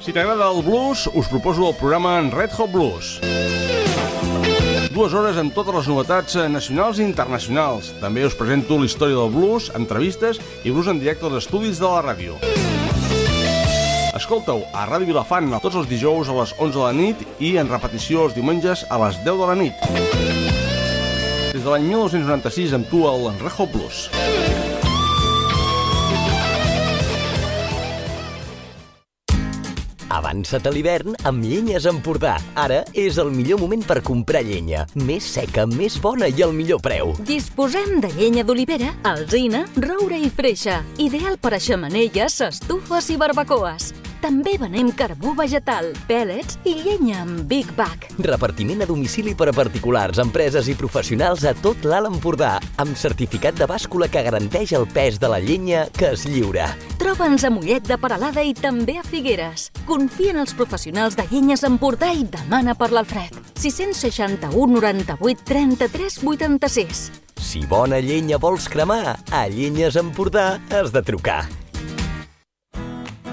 Si t'agrada el blues, us proposo el programa Red Hot Blues. 2 hores amb totes les novetats nacionals i internacionals. També us presento la història del blues, entrevistes i blues en directe als estudis de la ràdio. Escolta-ho a Ràdio Vilafant tots els dijous a les 11 de la nit i en repetició els diumenges a les 10 de la nit. Des de l'any 1996 amb tu al Red Hot Blues. Avança't a l'hivern amb Llenyes Empordà. Ara és el millor moment per comprar llenya. Més seca, més bona i al millor preu. Disposem de llenya d'olivera, alzina, roure i freixa. Ideal per a xemeneies, estufes i barbacoes. També venem carbó vegetal, pèl·lets i llenya amb Big Bag. Repartiment a domicili per a particulars, empreses i professionals a tot l'Alt Empordà, amb certificat de bàscula que garanteix el pes de la llenya que es lliura. Troba'ns a Mollet de Peralada i també a Figueres. Confia en els professionals de Llenyes Empordà i demana per l'Alfred. 661 98 33 86. Si bona llenya vols cremar, a Llenyes Empordà has de trucar.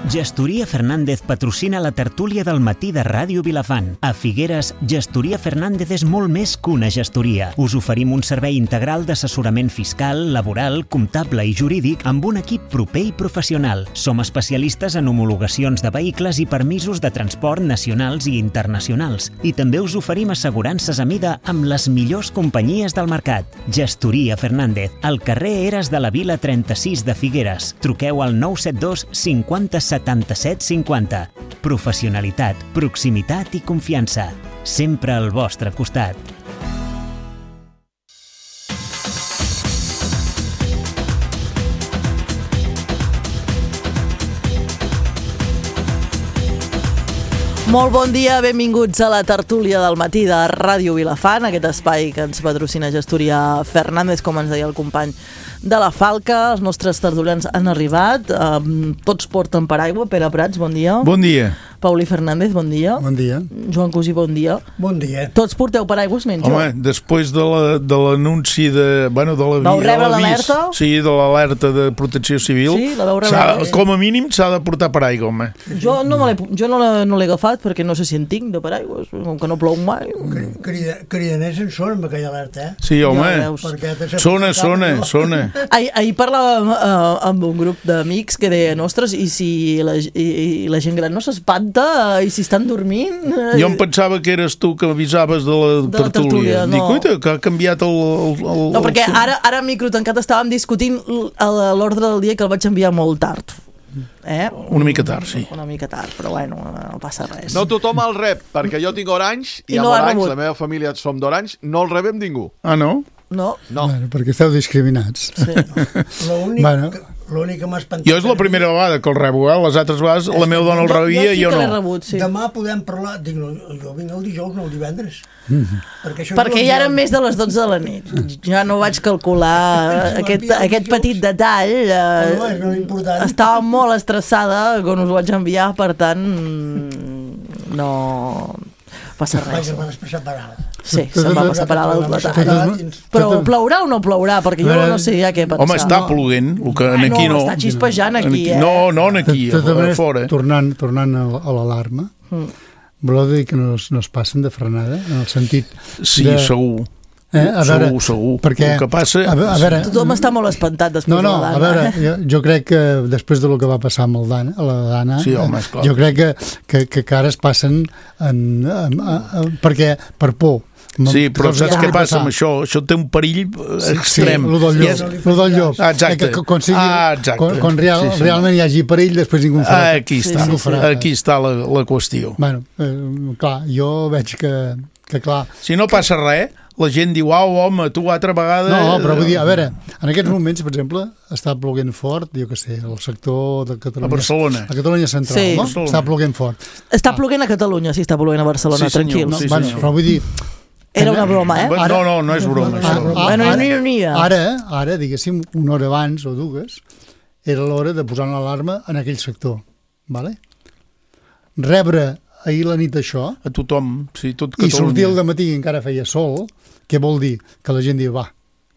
Gestoria Fernández patrocina la tertúlia del matí de Ràdio Vilafant. A Figueres, Gestoria Fernández és molt més que una gestoria. Us oferim un servei integral d'assessorament fiscal, laboral, comptable i jurídic amb un equip proper i professional. Som especialistes en homologacions de vehicles i permisos de transport nacionals i internacionals. I també us oferim assegurances a mida amb les millors companyies del mercat. Gestoria Fernández, al carrer Eres de la Vila 36 de Figueres. Truqueu al 972 50 77 50. Professionalitat, proximitat i confiança. Sempre al vostre costat. Molt bon dia, benvinguts a la tertúlia del matí de Ràdio Vilafant, aquest espai que ens patrocina Gestoria Fernández, com ens deia el company de la Falca. Els nostres tertulians han arribat, tots porten paraigua. Pere Prats, bon dia. Bon dia. Pauli Fernández, bon dia. Bon dia. Joan Cosí, bon dia. Bon dia. Tots porteu paraigües menys jo? Home, després de l'anunci de l'avís... Vau rebre l'alerta? Sí, de l'alerta de protecció civil. Sí, la vau rebre. Com a mínim s'ha de portar paraigua, home. Jo no l'he agafat perquè no sé si en tinc de paraigües, com que no plou mai. Cridaners en són amb aquella alerta, Sí, home. Sona. Ahir parlàvem amb un grup d'amics que deien, ostres, i si la gent gran no s'espanta i si estan dormint? Jo em pensava que eres tu que avisaves de la tertúlia. No. Dic, uita, que ha canviat el... No, perquè ara a micro tancat estàvem discutint l'ordre del dia que el vaig enviar molt tard. Una mica tard, sí. Una mica tard, però bueno, no passa res. No tothom el rep, perquè jo tinc Orange i amb Orange, la meva família som d'Orange, no el rebem ningú. Ah, no? No. Bueno, perquè esteu discriminats. Sí. L'únic que m'ha espantat... Jo és la primera vegada que el rebo, les altres vegades la meva dona el rebia i jo no. Rebut, sí. Demà podem parlar... Dic, no, jo vinc el dijous, no el divendres. Perquè ja eren més de les 12 de la nit. Ja no vaig calcular aquest petit detall. No és important. Estava molt estressada quan us ho vaig enviar, per tant no passa res. Sí, se'm va passar per alt el detall. Però plourà o no plourà? Perquè jo no sé ja què pensar. Home, està ploent, el que aquí no... Està xispejant aquí, No, aquí, a fora. Tornant a l'alarma, voleu dir que no es passen de frenada, en el sentit... Sí, segur. Segur. Perquè, el que passa... A veure, tothom està molt espantat després de la Dana. A veure, jo crec que després del que va passar amb la Dana, sí, home, esclar. Jo crec que ara es passen perquè per por. Sí, però saps què passa amb això? Això té un perill extrem. Sí, el del llop. Exacte. Quan realment hi hagi perill, després ningú ho farà. Aquí està la qüestió. Bueno, clar, jo veig que clar... Si no passa res, la gent diu, home, tu altra vegada... No, però vull dir, a veure, en aquests moments, per exemple, està ploguent fort, jo què sé, al sector de Catalunya... A Barcelona. A Catalunya central, sí. No? Està ploguent fort. Està ploguent a Catalunya, sí, està ploguent a Barcelona, sí, tranquils. Sí, bueno, però vull dir... Era una broma, No és broma, això. Ara, diguéssim, una hora abans o dues, era l'hora de posar l'alarma en aquell sector, vale? Rebre ahir la nit això... A tothom, sí, tot Catalunya. I sortir al dematí i encara feia sol, què vol dir? Que la gent diu, va,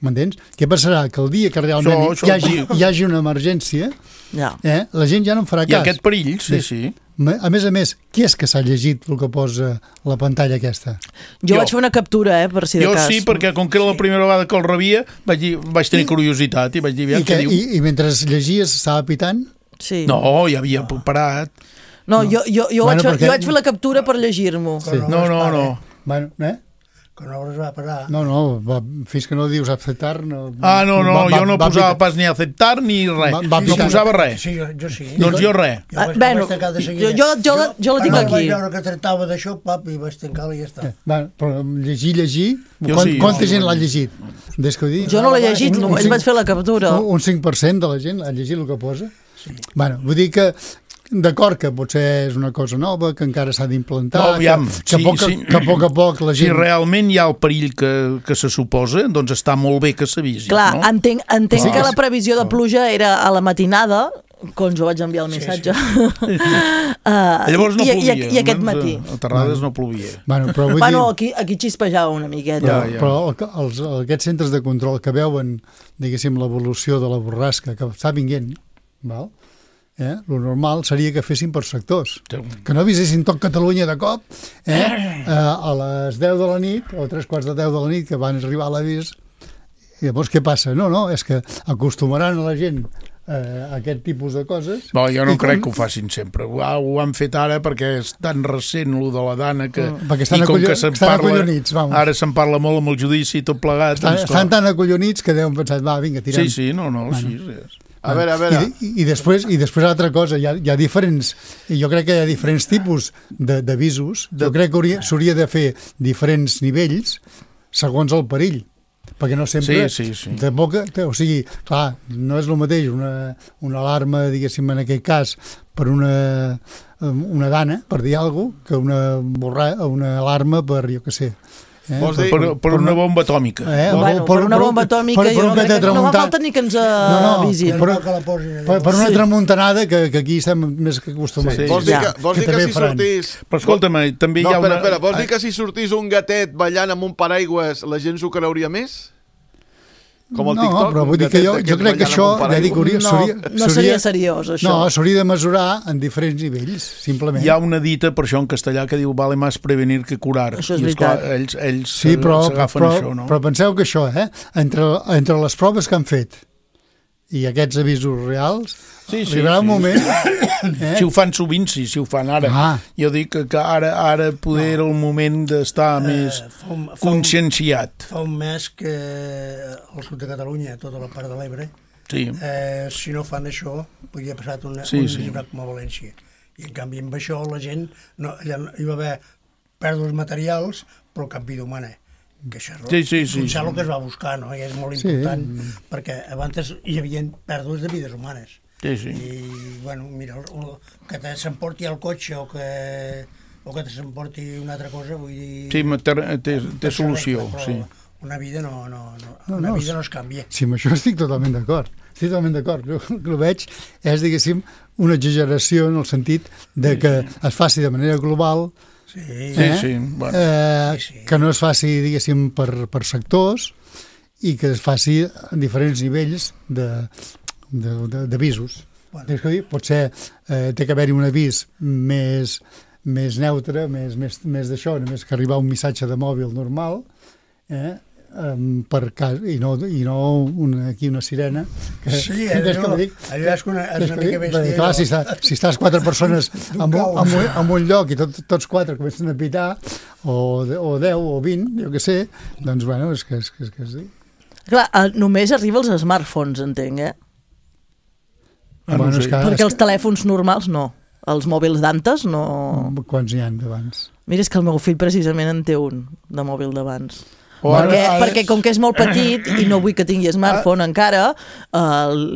m'entens? Què passarà? Que el dia que realment hi hagi una emergència, la gent ja no en farà cas. Hi ha aquest perill, sí. A més, qui és que s'ha llegit el que posa la pantalla aquesta? Jo vaig fer una captura, per si de cas. Jo sí, perquè com que era la primera vegada que el rebia, vaig tenir curiositat i vaig dir, què diu? I mentre llegies estava pitant? Sí. No, ja havia parat. No, jo vaig fer la captura per llegir-m'ho. No. Bueno, que no es va parar. No, fins que no dius aceptar... No, jo no posava pas ni aceptar ni res. No posava res. Sí, jo sí. Doncs jo res. Bueno, jo la tinc aquí. Vaig veure que tractava d'això, i vaig tancar-la i ja està. Però llegir... Quanta gent l'ha llegit? Des que ho dic? Jo no l'he llegit, només vaig fer la captura. Un 5% de la gent ha llegit el que posa? Bueno, vull dir que... D'acord que potser és una cosa nova, que encara s'ha d'implantar, que a poc a poc la gent... Si realment hi ha el perill que se suposa, doncs està molt bé que s'avisi. Clar, entenc que la previsió de pluja era a la matinada, quan jo vaig enviar el missatge. Llavors no plovia. I aquest matí. A Terrades no plovia. Bueno, aquí xispejava una miqueta. Però aquests centres de control que veuen, diguéssim, l'evolució de la borrasca que està vinguent, val? Lo normal seria que fessin per sectors, que no avisessin tot Catalunya de cop a les 10 de la nit o 3:15 de 10 de la nit que van arribar a l'avís. I llavors què passa? No, és que acostumaran a la gent a aquest tipus de coses. Jo no crec que ho facin sempre. Ho han fet ara perquè és tan recent el de la Dana que... Perquè estan acollonits. Ara se'n parla molt amb el judici i tot plegat. Estan tan acollonits que deuen pensar, vinga, tirem. Sí, sí, és... A veure. I després altra cosa, hi ha diferents, jo crec que hi ha diferents tipus d'avisos, jo crec que s'hauria de fer diferents nivells segons el perill, perquè no sempre... Sí. O sigui, clar, no és el mateix una alarma, diguéssim, en aquest cas, per una dana, per dir alguna cosa, que una alarma per, jo què sé, per una bomba atòmica. Per una bomba atòmica no fa falta ni que ens avisin. Per una tramuntanada que aquí estem més que acostumats. Vols dir que si sortís... Però escolta'm, també hi ha una... Espera, vols dir que si sortís un gatet ballant amb un paraigües la gent s'ho creuria més? Com el TikTok? No, però vull dir que jo crec que això... No seria seriós, això. No, s'hauria de mesurar en diferents nivells, simplement. Hi ha una dita, per això en castellà, que diu vale más prevenir que curar. Això és veritat. Ells s'agafen això, no? Però penseu que això, entre les proves que han fet i aquests avisos reals, arribarà un moment... Si ho fan sovint, si ho fan ara. Jo dic que ara poder era el moment d'estar més conscienciat. Fa un mes que al sud de Catalunya, tota la part de l'Ebre, si no fan això, podria passar un llibrat com a València. I en canvi amb això la gent, allà hi va haver pèrdues materials, però cap vida humana. Que això és el que es va buscar, no? I és molt important, perquè abans hi havia pèrdues de vides humanes. I, bueno, mira, que s'emporti el cotxe o que s'emporti una altra cosa, vull dir... Sí, té solució, sí. Una vida no es canvia. Sí, amb això estic totalment d'acord. El que veig és, diguéssim, una exageració en el sentit de que es faci de manera global, que no es faci, diguéssim, per sectors i que es faci a diferents nivells d'avisos. Potser té que haver-hi un avís més neutre, més d'això, només que arribar un missatge de mòbil normal, per cas, i no aquí una sirena que, allò és una mica bèstia. Clar, si estàs 4 persones en un lloc i tots 4 comencen a pitar o 10 o 20, jo què sé, doncs bueno, és que sí. Clar, només arriba als smartphones, entenc, perquè els telèfons normals no. Els mòbils d'antes no... Quants n'hi ha d'abans? Mira, és que el meu fill precisament en té un de mòbil d'abans. Perquè com que és molt petit i no vull que tingui smartphone encara,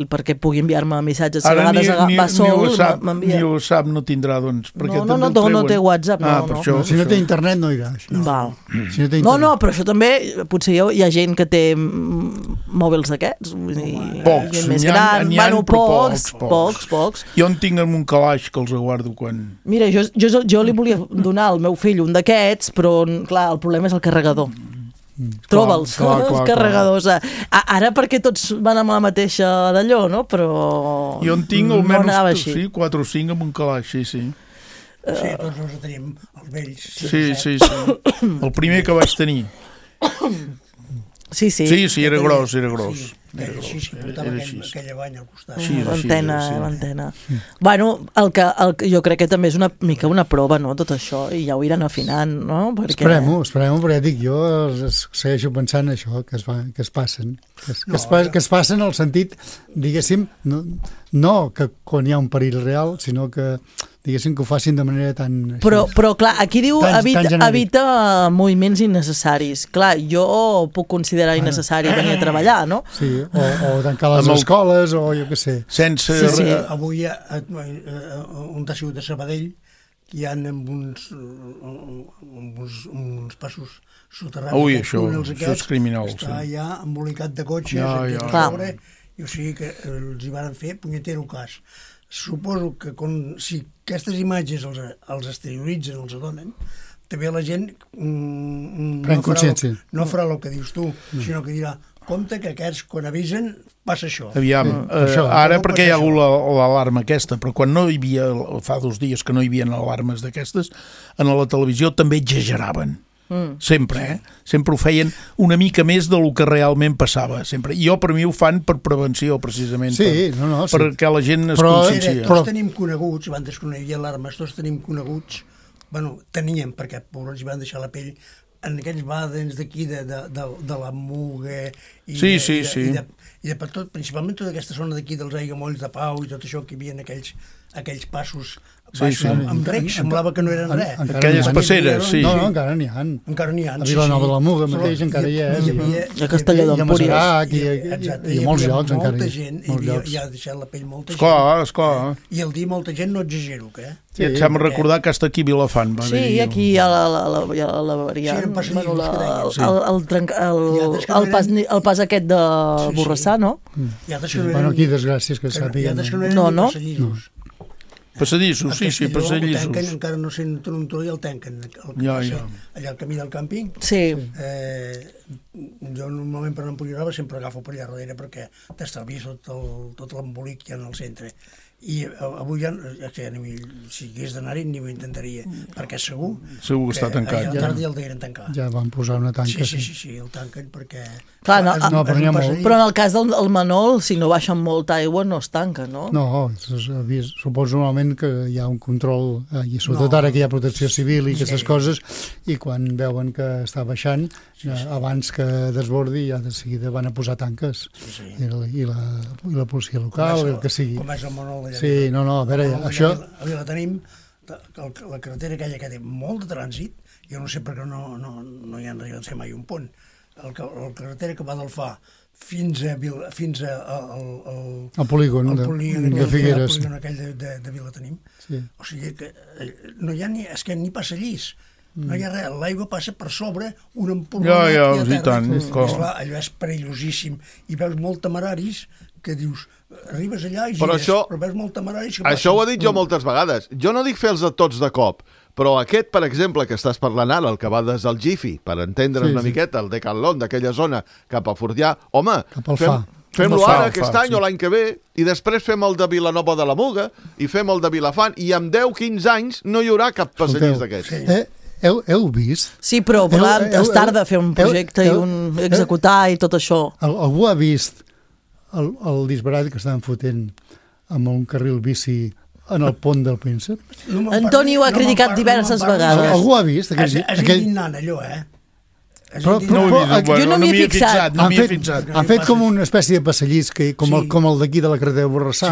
perquè pugui enviar-me missatges, si a vegades va sol, m'envia. Ni ho sap, no tindrà, doncs. No té WhatsApp, no. Si no té internet no irà. No, però això també, potser hi ha gent que té mòbils d'aquests, pocs, més gran, pocs. Jo en tinc en un calaix que els guardo quan... Mira, jo li volia donar al meu fill un d'aquests, però clar, el problema és el carregador. Troba'ls, els carregadors. Ara perquè tots van amb la mateixa d'allò, no? Però jo en tinc almenys 4 o 5 amb un calaix, sí. Sí, tots els tenim, els vells. Sí. El primer que vaig tenir. Sí. Sí, era gros. Sí, portava aquella banya al costat. L'antena. Bueno, el que jo crec que també és una mica una prova, no?, tot això, i ja ho iran afinant, no? Esperem-ho, perquè dic jo, segueixo pensant això, que es passen. Que es passen en el sentit, diguéssim, no que quan hi ha un perill real, sinó que diguéssim que ho facin de manera tan... Però clar, aquí diu evita moviments innecessaris. Clar, jo puc considerar innecessari venir a treballar, no? Sí, o tancar les escoles, o jo què sé. Sense... Sí. Avui un ha sigut de Sabadell, hi ha uns passos soterrats. Ui, això és criminal. Està ja embolicat de cotxes, i o sigui que els hi van fer punyetero cas. Suposo que si aquestes imatges els exterioritzen, els adonen, també la gent no farà el que dius tu, sinó que dirà, compte que aquests, quan avisen, passa això. Aviam, ara perquè hi ha hagut l'alarma aquesta, però quan no hi havia, fa 2 dies que no hi havia alarmes d'aquestes, en la televisió també exageraven. Sempre ho feien una mica més del que realment passava, sempre. I per mi ho fan per prevenció, precisament, perquè la gent es consciencia. Tots tenim coneguts, abans que no hi havia alarmes, tots tenim coneguts, teníem, perquè pobrets hi van deixar la pell en aquells bàdens d'aquí de la Muga i de per tot, principalment tota aquesta zona d'aquí dels aiguamolls de Pau i tot això que hi havia aquells passos amb rec, semblava que no eren res. Aquelles passeres, sí. No, encara n'hi ha. A Vilanova de la Muga mateix encara hi és. A Castelló d'Empúries. I a molts llocs encara hi ha. Hi ha deixat la pell molta gent. Esclar. I el dir molta gent no exagero, que Sí, et sembla recordar que està aquí a Vilafant. Sí, aquí hi ha la variant. El pas aquest de Borrassà, no? Bueno, aquí desgràcies que sàpiguen. No. Passadissos, sí, passadissos. Encara no sent un tro i el tanquen. Allà al camí del càmping. Sí. Jo normalment per l'Empuriarava sempre agafo per allà darrere perquè t'estalvies tot l'embolic que hi ha en el centre. I avui ja, si hagués d'anar-hi, ni ho intentaria, perquè segur que està tancat. A la tarda ja el degueren tancar. Ja van posar una tanca. Sí, el tanquen perquè... Clar, però en el cas del Manol, si no baixen molta aigua, no es tanca, no? No, suposo normalment que hi ha un control, i sobretot ara que hi ha protecció civil i aquestes coses, i quan veuen que està baixant, abans que desbordi, ja de seguida van a posar tanques. I la policia local, el que sigui. Com és el Manol d'allà. Sí, no, a veure, això... Avui la tenim, la carretera aquella que té molt de trànsit, jo no sé per què no hi han arribat a fer mai un pont. La carretera que va del Fà fins al polígon de Figueres. El polígon aquell de Vilatenim. O sigui que no hi ha ni passa llis. No hi ha res, l'aigua passa per sobre un empolvonat i a terra. Allò és perillosíssim. I veus molt temeraris que dius, arribes allà i gires, però veus molt temeraris... Això ho he dit jo moltes vegades. Jo no dic fer-los a tots de cop, però aquest, per exemple, que estàs parlant ara, el que va des del Gifi, per entendre una miqueta, el Decathlon d'aquella zona cap a Fortià, home, fem-lo ara aquest any o l'any que ve, i després fem el de Vilanova de la Muga, i fem el de Vilafant, i en 10-15 anys no hi haurà cap passadís d'aquests. Heu vist? Sí, però és tard de fer un projecte i executar i tot això. Algú ha vist el disbarat que estaven fotent amb un carril bici en el pont del Príncep? Antoni ho ha criticat diverses vegades. Algú ha vist? És indignant allò, Jo no m'hi he fixat. Han fet com una espècie de passadís, com el d'aquí de la carretera de Borrassà,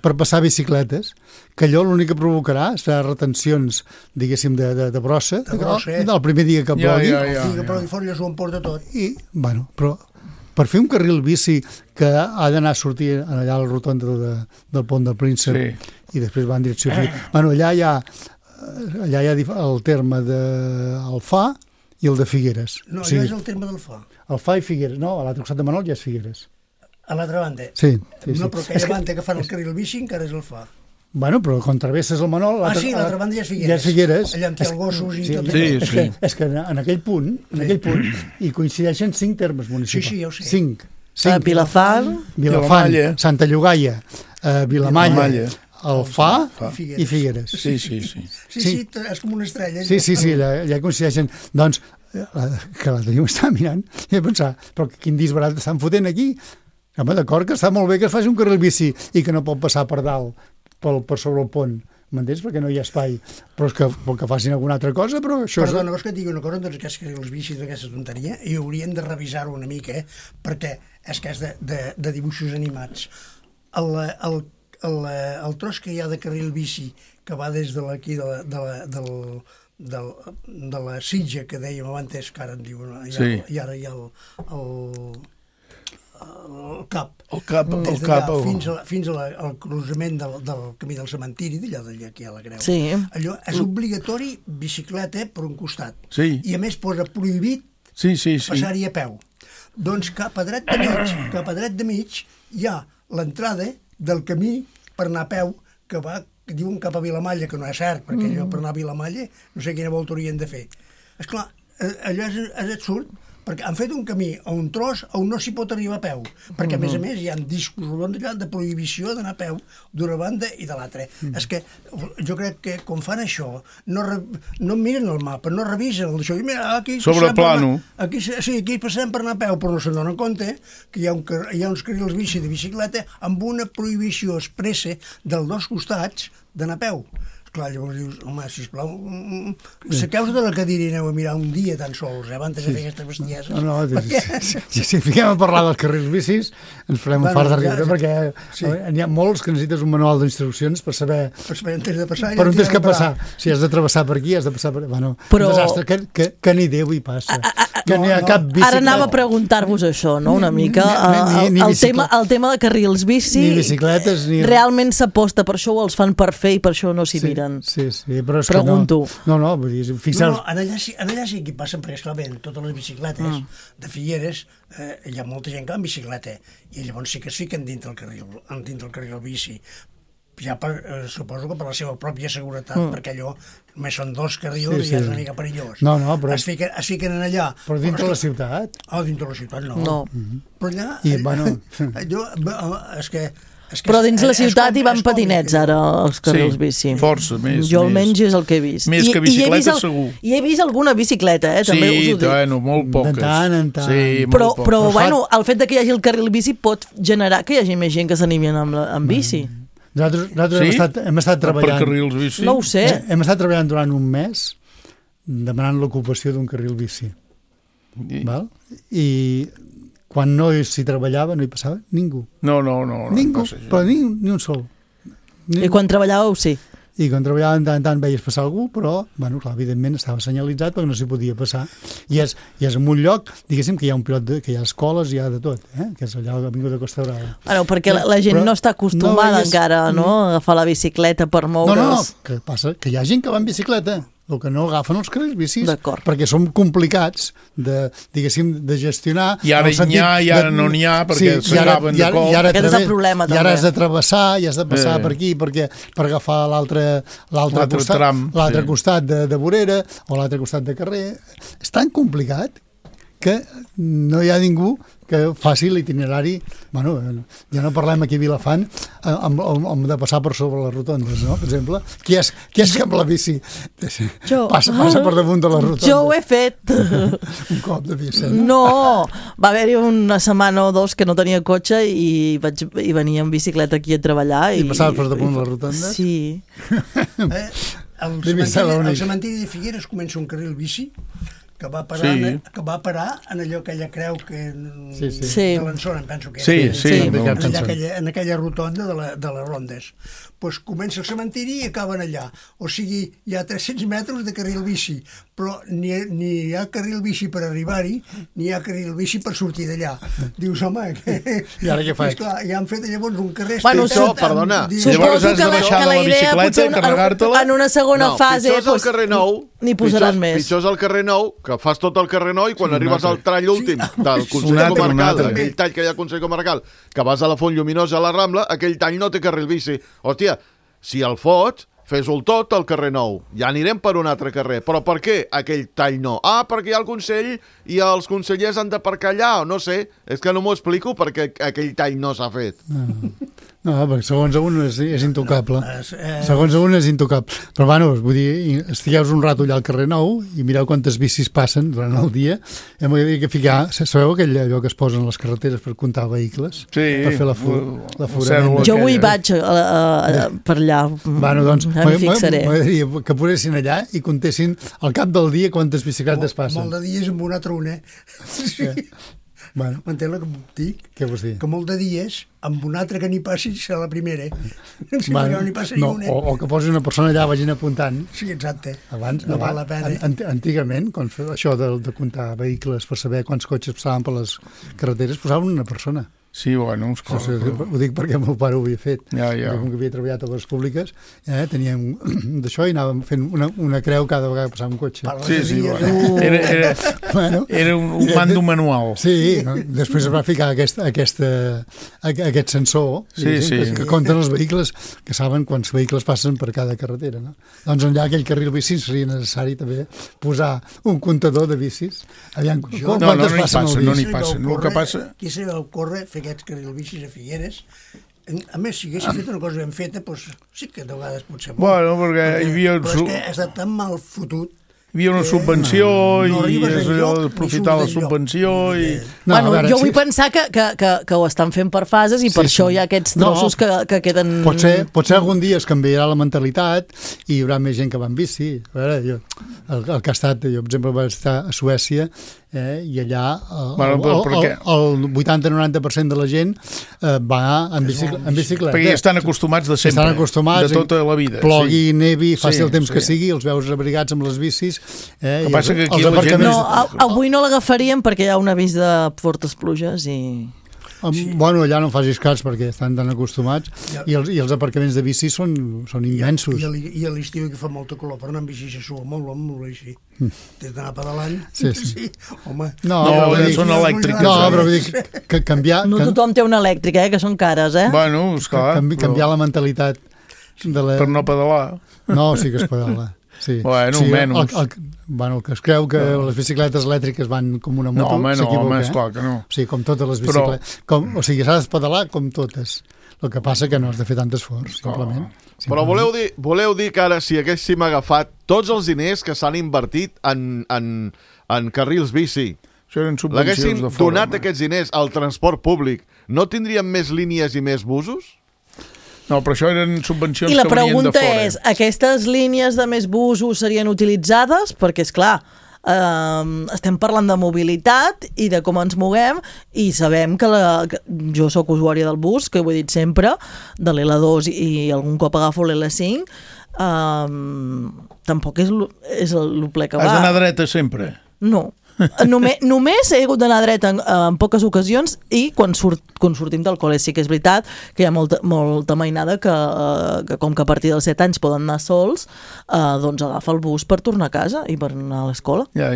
per passar bicicletes, que allò l'únic que provocarà serà retencions, diguéssim, de brossa, del primer dia que plogui. El dia que plogui fora ja s'ho emporta tot. I, bueno, però per fer un carril bici que ha d'anar a sortir allà a la rotonda del pont del Príncep i després va en direcció a bueno, allà hi ha el terme del Fà i el de Figueres. No, allò és el terme del Fà. El Fà i Figueres, no, a l'altre costat de Manol ja és Figueres. A l'altra banda? Sí. No, però aquella banda que fan el carril bici encara és el Fà. Bueno, però quan travesses el Manol... sí, l'altra banda ja és Figueres. Ja és Figueres. Allà amb els gossos i tot això. És que en aquell punt, hi coincideixen 5 termes municipals. Sí, ja ho sé. 5. Vilafant, Santa Llogaia, Vilamalla, el Fa i Figueres. Sí, és com una estrella. Sí, ja coincideixen. Doncs, que l'altre dia m'estava mirant i vaig pensar, però quin disbarat estan fotent aquí? Home, d'acord, que està molt bé que es faci un carril bici i que no pot passar per dalt, per sobre el pont, m'entens? Perquè no hi ha espai. Però és que facin alguna altra cosa, però això... Perdona, vols que et digui una cosa, doncs aquests carrils bici d'aquesta tonteria, i haurien de revisar-ho una mica, perquè és que és de dibuixos animats. El tros que hi ha de carril bici que va des d'aquí de la Sitja, que dèiem abans, que ara en diuen, i ara hi ha el cap fins al cruzament del camí del cementiri, d'allò aquí a la Creu. Allò és obligatori bicicleta per un costat. I a més posa prohibit passar-hi a peu. Doncs cap a dret de mig hi ha l'entrada del camí per anar a peu que diuen cap a Vilamalla, que no és cert, perquè allò per anar a Vilamalla no sé quina volta haurien de fer. Esclar, allò és absurd, perquè han fet un camí a un tros on no s'hi pot arribar a peu, perquè a més hi ha discos rodons de prohibició d'anar a peu d'una banda i de l'altra. És que jo crec que quan fan això no miren el mapa, no revisen això. Sobre plano. Aquí passem per anar a peu, però no se'n donen compte que hi ha uns carrils bici de bicicleta amb una prohibició expressa dels dos costats d'anar a peu. Clar, llavors dius, home, sisplau, saqueu-vos de la cadira i aneu a mirar un dia tan sols, abans de fer aquestes bestieses. No, si fiquem a parlar dels carrils bicis, ens farem un fart de riure, perquè n'hi ha molts que necessites un manual d'instruccions per saber on tens de passar. Per on tens que passar. Si has de travessar per aquí, has de passar per... Bueno, un desastre, que ni Déu hi passa. Que n'hi ha cap bicicleta. Ara anava a preguntar-vos això, no?, una mica. El tema de carrils bici... Ni bicicletes, ni... Realment s'aposta per això o els fan per fer i per això no s'hi miren? Sí, però és pregunto. Que no, vull dir, fixeu-vos... Allà sí que hi passen, perquè esclar, totes les bicicletes de Figueres, hi ha molta gent que va en bicicleta, i llavors sí que es fiquen dintre el carril bici. Ja suposo que per la seva pròpia seguretat, perquè allò només són dos carrils i és una mica perillós. No, però... Es fiquen en allà. Però dintre la ciutat? Dintre la ciutat no. Però allà... Però dins la ciutat hi van patinets ara els carrils bici. Força, més. Jo almenys és el que he vist. Més que bicicleta, segur. I he vist alguna bicicleta, també us ho dic. Sí, molt poques. De tant en tant. Però bueno, el fet que hi hagi el carril bici pot generar que hi hagi més gent que s'animi amb bici. Nosaltres hem estat treballant... Per carrils bici? No ho sé. Hem estat treballant durant un mes demanant l'ocupació d'un carril bici. Val? I... quan no s'hi treballava no hi passava ningú. No. Ningú, però ni un sol. I quan treballàveu, sí. I quan treballava de tant en tant veies passar algú, però, bueno, clar, evidentment estava senyalitzat perquè no s'hi podia passar. I és en un lloc, diguéssim, que hi ha un pilot, que hi ha escoles, hi ha de tot, que és allà a l'avinguda Costa Brava. Bueno, perquè la gent no està acostumada encara, no?, a agafar la bicicleta per moure's. No, que passa que hi ha gent que va en bicicleta, el que no agafen els carrils bicis, perquè són complicats de gestionar. I ara n'hi ha, i ara no n'hi ha, perquè s'agaven de cop. Aquest és el problema, també. I ara has de travessar, i has de passar per aquí per agafar l'altre costat de vorera o l'altre costat de carrer. És tan complicat que no hi ha ningú que faci l'itinerari, bueno, ja no parlem aquí a Vilafant, de passar per sobre les rotondes, no?, per exemple. Qui és que amb la bici passa per damunt de les rotondes? Jo ho he fet. Un cop de bici. No, va haver-hi una setmana o dos que no tenia cotxe i venia en bicicleta aquí a treballar. I passaves per damunt de les rotondes? Sí. Al cementiri de Figueres comença un carril bici que va parar en aquella creu de l'Ensona, em penso que era. En aquella rotonda de les Rondes. Doncs comença el cementiri i acaben allà. O sigui, hi ha 300 metres de carril bici, però ni hi ha carril bici per arribar-hi, ni hi ha carril bici per sortir d'allà. Dius, home, i ara què faig? I han fet llavors un carrer... Perdona. Llavors has de baixar de la bicicleta, carregar-te-la... En una segona fase... Pitjor és el carrer Nou. N'hi posaran més. Pitjor és el carrer Nou, que fas tot el carrer Nou i quan arribes al tall últim del Consell Comarcal, aquell tall que hi ha al Consell Comarcal, que vas a la Font Lluminosa a la Rambla, aquell tall no té carril bici. Hòstia, si el fots, fes-ho tot al carrer Nou. Ja anirem per un altre carrer. Però per què aquell tall no? Perquè hi ha el Consell i els consellers han d'aparcar allà, o no sé. És que no m'ho explico perquè aquell tall no s'ha fet. No, perquè segons un és intocable. Segons un és intocable. Però, bueno, vull dir, estigueu un rato allà al carrer Nou i mireu quantes bicis passen durant el dia. Hem de ficar... Sabeu allò que es posen a les carreteres per comptar vehicles? Sí. Per fer l'aforament? Jo avui vaig per allà. Bueno, doncs, em fixaré. M'agradaria que posessin allà i comptessin al cap del dia quantes bicicletes passen. Molt de dies amb un altre un, Sí. Bueno. M'entén el que puc dir? Què vols dir? Que molt de dies, amb un altre que n'hi passi, serà la primera. Bueno, no n'hi passa ni una. O que posi una persona allà, vagin apuntant. Sí, exacte. Abans, no val la pena. Antigament, quan feia això de comptar vehicles per saber quants cotxes passaven per les carreteres, posaven una persona. Sí, bueno, ho dic perquè el meu pare ho havia fet. Ja. Com que havia treballat a les públiques, teníem d'això i anàvem fent una creu cada vegada que passava un cotxe. Sí, era un mando manual. Sí, no? Després es va ficar aquest sensor que compten els vehicles, que saben quants vehicles passen per cada carretera. No? Doncs allà aquell carril bici seria necessari també posar un comptador de bicis. Aviam, quantes passen al bici? No n'hi passa. El que passa... Qui se va córrer fer aquests carrils bicis a Figueres. A més, si haguessin fet una cosa ben feta, doncs sí que de vegades pot ser molt. Bueno, perquè hi havia... Però és que ha estat tan mal fotut. Hi havia una subvenció i és allò d'aprofitar la subvenció i... Jo vull pensar que ho estan fent per fases i per això hi ha aquests trossos que queden... Potser algun dia es canviarà la mentalitat i hi haurà més gent que va en bici. A veure, el que ha estat, jo per exemple vaig estar a Suècia i allà el 80-90% de la gent va en bicicleta. Perquè ja estan acostumats de sempre, de tota la vida. Plogui, nevi, faci el temps que sigui, els veus abrigats amb les bicis. El que passa que aquí la gent... Avui no l'agafaríem perquè hi ha un avís de fortes pluges i... Bueno, allà no facis cas perquè estan tan acostumats i els aparcaments de bici són immensos. I a l'estiu que fa molta calor per anar amb bici se sua molt així. Tens d'anar pedalant. Sí. Home. No, són elèctriques. No, però vull dir que canviar... No tothom té una elèctrica, que són cares, Bueno, esclar. Canviar la mentalitat per no pedalar. No, sí que es pedala. Sí. Bueno, menys. El que es creu que les bicicletes elèctriques van com una moto s'equivoca. Esclar que no. O sigui, com totes les bicicletes. O sigui, s'ha de pedalar com totes. El que passa que no has de fer tant esforç, simplement. Però voleu dir que ara si haguéssim agafat tots els diners que s'han invertit en carrils bici, l'haguéssim donat aquests diners al transport públic, no tindríem més línies i més busos? No, però això eren subvencions que venien de fora. I la pregunta és, aquestes línies de més busos serien utilitzades? Perquè, esclar, estem parlant de mobilitat i de com ens moguem i sabem que jo sóc usuària del bus, que ho he dit sempre, de l'L2 i algun cop agafo l'L5, tampoc és el ple que va. Has d'anar dreta sempre? No. Només he hagut d'anar dreta en poques ocasions i quan sortim del col·le. Sí que és veritat que hi ha molta mainada que com que a partir dels 7 anys poden anar sols, doncs agafa el bus per tornar a casa i per anar a l'escola. Ja.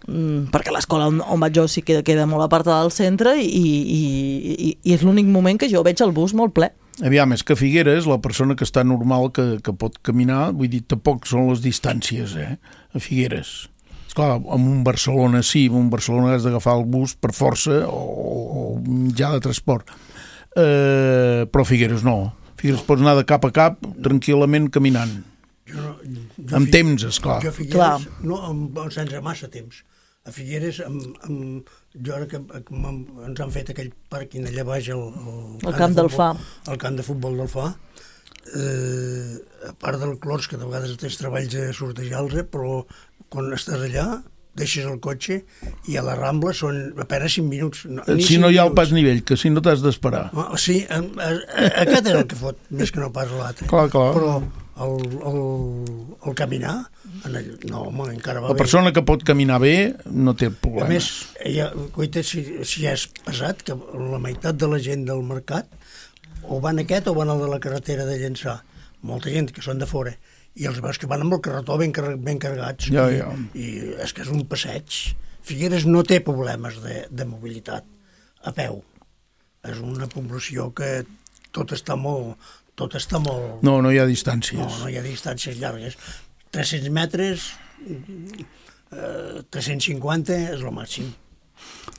Perquè l'escola on vaig jo sí que queda molt apartada del centre i és l'únic moment que jo veig el bus molt ple. Aviam, és que Figueres, la persona que està normal que pot caminar, vull dir, tampoc són les distàncies, a Figueres. Esclar, en un Barcelona sí, en un Barcelona has d'agafar el bus per força o mitjà de transport. Però Figueres no. Figueres pots anar de cap a cap tranquil·lament caminant. Amb temps, esclar. Jo a Figueres, sense massa temps. A Figueres, jo ara que ens han fet aquell pàrquing allà baix el camp del Fa. El camp de futbol del Fa, a part del clors, que de vegades tens treballs de sortejar-los, però quan estàs allà, deixes el cotxe i a la Rambla són apenas 5 minuts. Si no hi ha el pas nivell, que si no t'has d'esperar. Sí, aquest és el que fot, més que no pas l'altre. Clar. Però el caminar, no, home, encara va bé. La persona que pot caminar bé no té problema. A més, coita, si és pesat, que la meitat de la gent del mercat o van aquest o van al de la carretera de Llençà. Molta gent que són de fora. I els veus que van amb el carretó ben carregats. Ja. I és que és un passeig. Figueres no té problemes de mobilitat a peu. És una població que tot està molt... No hi ha distàncies. No hi ha distàncies llargues. 300 metres, 350 és el màxim.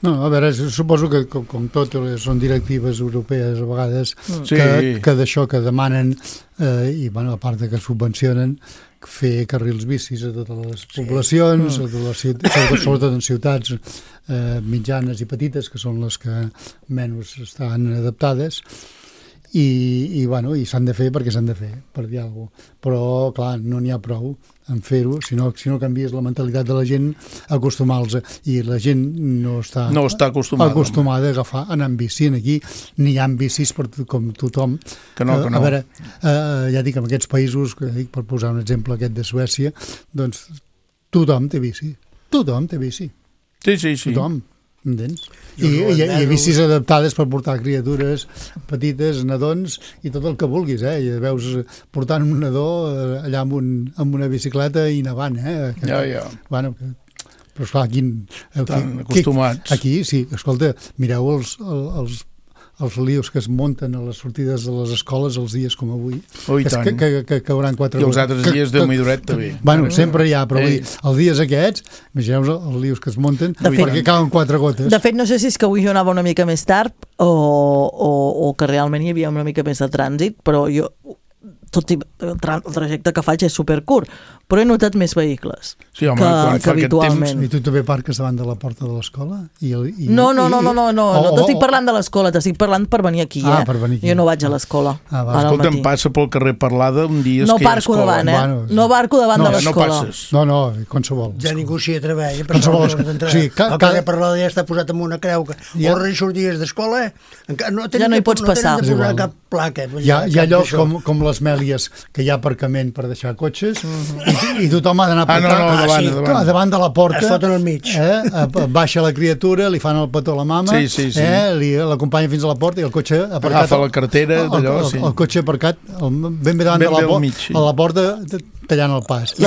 No, a veure, suposo que com tot són directives europees a vegades que d'això que demanen i bueno, a part de que subvencionen fer carrils bicis a totes les poblacions, sobretot en ciutats mitjanes i petites, que són les que menys estan adaptades, i s'han de fer perquè s'han de fer, per dir alguna cosa. Però, clar, no n'hi ha prou en fer-ho, si no canvies la mentalitat de la gent, acostumar-los, i la gent no està acostumada a agafar, anar en bici. Aquí n'hi ha bicis com tothom. Que no. A veure, ja dic, en aquests països, per posar un exemple aquest de Suècia, doncs tothom té bici. Tothom té bici. Sí. Tothom. Entens? I bicis adaptades per portar criatures petites, nadons i tot el que vulguis, I veus portant un nadó allà amb una bicicleta i nevant, Ja. Bueno, però esclar, aquí acostumats. Aquí, sí, escolta, mireu els líos que es munten a les sortides de les escoles els dies com avui. Que hauran 4 I els altres dies Déu m'hi duret també. Bueno, sempre hi ha, però els dies aquests, imagineu els líos que es munten, perquè cauen 4 gotes. De fet, no sé si és que avui jo anava una mica més tard o que realment hi havia una mica més de trànsit, però jo, tot i el trajecte que faig és supercurt, però he notat més vehicles que habitualment. I tu també parques davant de la porta de l'escola? No t'estic parlant de l'escola, t'estic parlant per venir aquí. Per venir aquí. Jo no vaig a l'escola. Escolta, em passa pel carrer Parlada un dia no parco davant, no parco davant de l'escola. No, qualsevol. Ja ningú s'hi atreveix. El carrer Parlada ja està posat amb una creu que horres i sorties d'escola, ja no hi pots passar. No tenen de posar cap placa. Hi ha llocs com les Mèlies que hi ha aparcament per deixar cotxes i tothom ha d'anar davant de la porta, es foten al mig, baixa la criatura, li fan el petó a la mama, l'acompanya fins a la porta i el cotxe aparcat, agafa la cartera el cotxe aparcat ben bé davant de la porta tallant el pas. I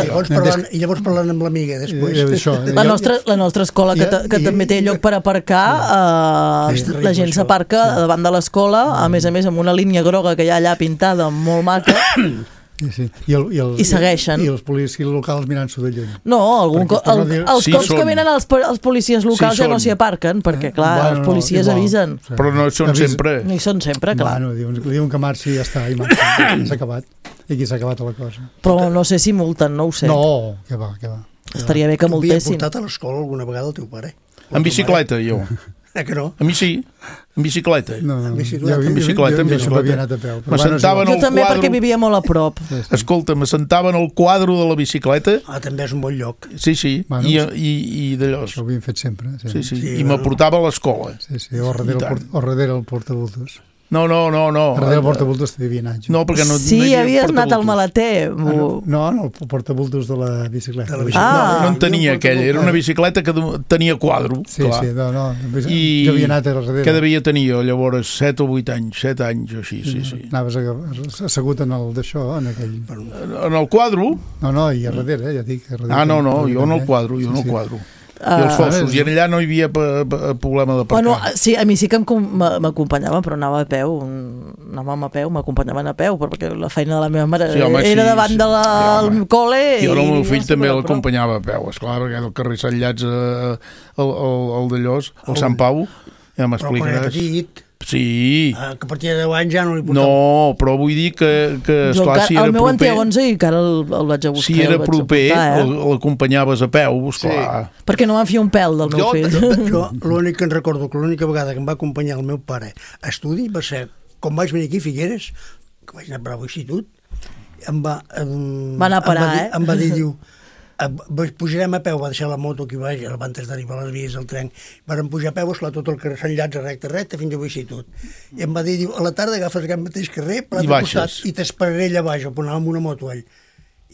llavors parlant amb l'amiga després. La nostra escola, que també té lloc per aparcar, la gent s'aparca davant de l'escola, a més amb una línia groga que hi ha allà pintada molt maca. I segueixen. I els policies locals mirant-s'ho de lluny. No, els cops que venen els policies locals ja no s'hi aparquen, perquè clar, els policies avisen. Però no són sempre. No hi són sempre, clar. Diuen que marxi i ja està, i marxa. S'ha acabat. I aquí s'ha acabat la cosa. Però no sé si multen, no ho sé. No, què va. Estaria bé que multessin. Havia portat a l'escola alguna vegada el teu pare? En bicicleta, jo. Que no? A mi sí, en bicicleta. No, en bicicleta. Jo havia anat a peu. Jo també perquè vivia molt a prop. Escolta, m'assentava en el quadre de la bicicleta. També és un bon lloc. Sí, i d'allò. Això ho havíem fet sempre. Sí, i m'aportava a l'escola. Sí, o darrere el portabultos. No. Darrere el portabultos t'havia anat. No, perquè no havies anat al maleter. No, el portabultos de la bicicleta. No en tenia aquella, era una bicicleta que tenia quadre. Sí, no. Jo havia anat a darrere. Què devia tenir jo, llavors? 7 o 8 anys, 7 anys o així, sí. Anaves assegut en el d'això, en aquell... En el quadre? No, i a darrere, ja dic. No, jo en el quadre, I els fossos, i allà no hi havia problema d'aparcar. Bueno, sí, a mi sí que m'acompanyaven, però anàvem a peu, m'acompanyaven a peu, perquè la feina de la meva mare era davant del col·le. Jo el meu fill també l'acompanyava a peu, esclar, perquè del carrer Sant Llats al d'Allòs, al Sant Pau, ja m'explicaràs. Però quan era petit... Sí. Que a partir de 10 anys ja no li portava. No, però vull dir que esclar, si era proper... El meu en té 11 i encara el vaig a buscar. Si era proper, l'acompanyaves a peu, esclar. Perquè no m'en fia un pèl del meu fill. Jo l'únic que em recordo, que l'única vegada que em va acompanyar el meu pare a estudi va ser, quan vaig venir aquí a Figueres, que vaig anar a Bravo Institut, va anar a parar, em va dir, diu, pujarem a peu, va deixar la moto aquí baix, abans d'arribar a les vies del tren, vàrem pujar a peu, esclar, tot el carrer Sant Llats recte fins a Institut. I em va dir, diu, a la tarda agafes aquest mateix carrer per l'altre costat i t'esperaré allà baix, on anàvem amb una moto ell.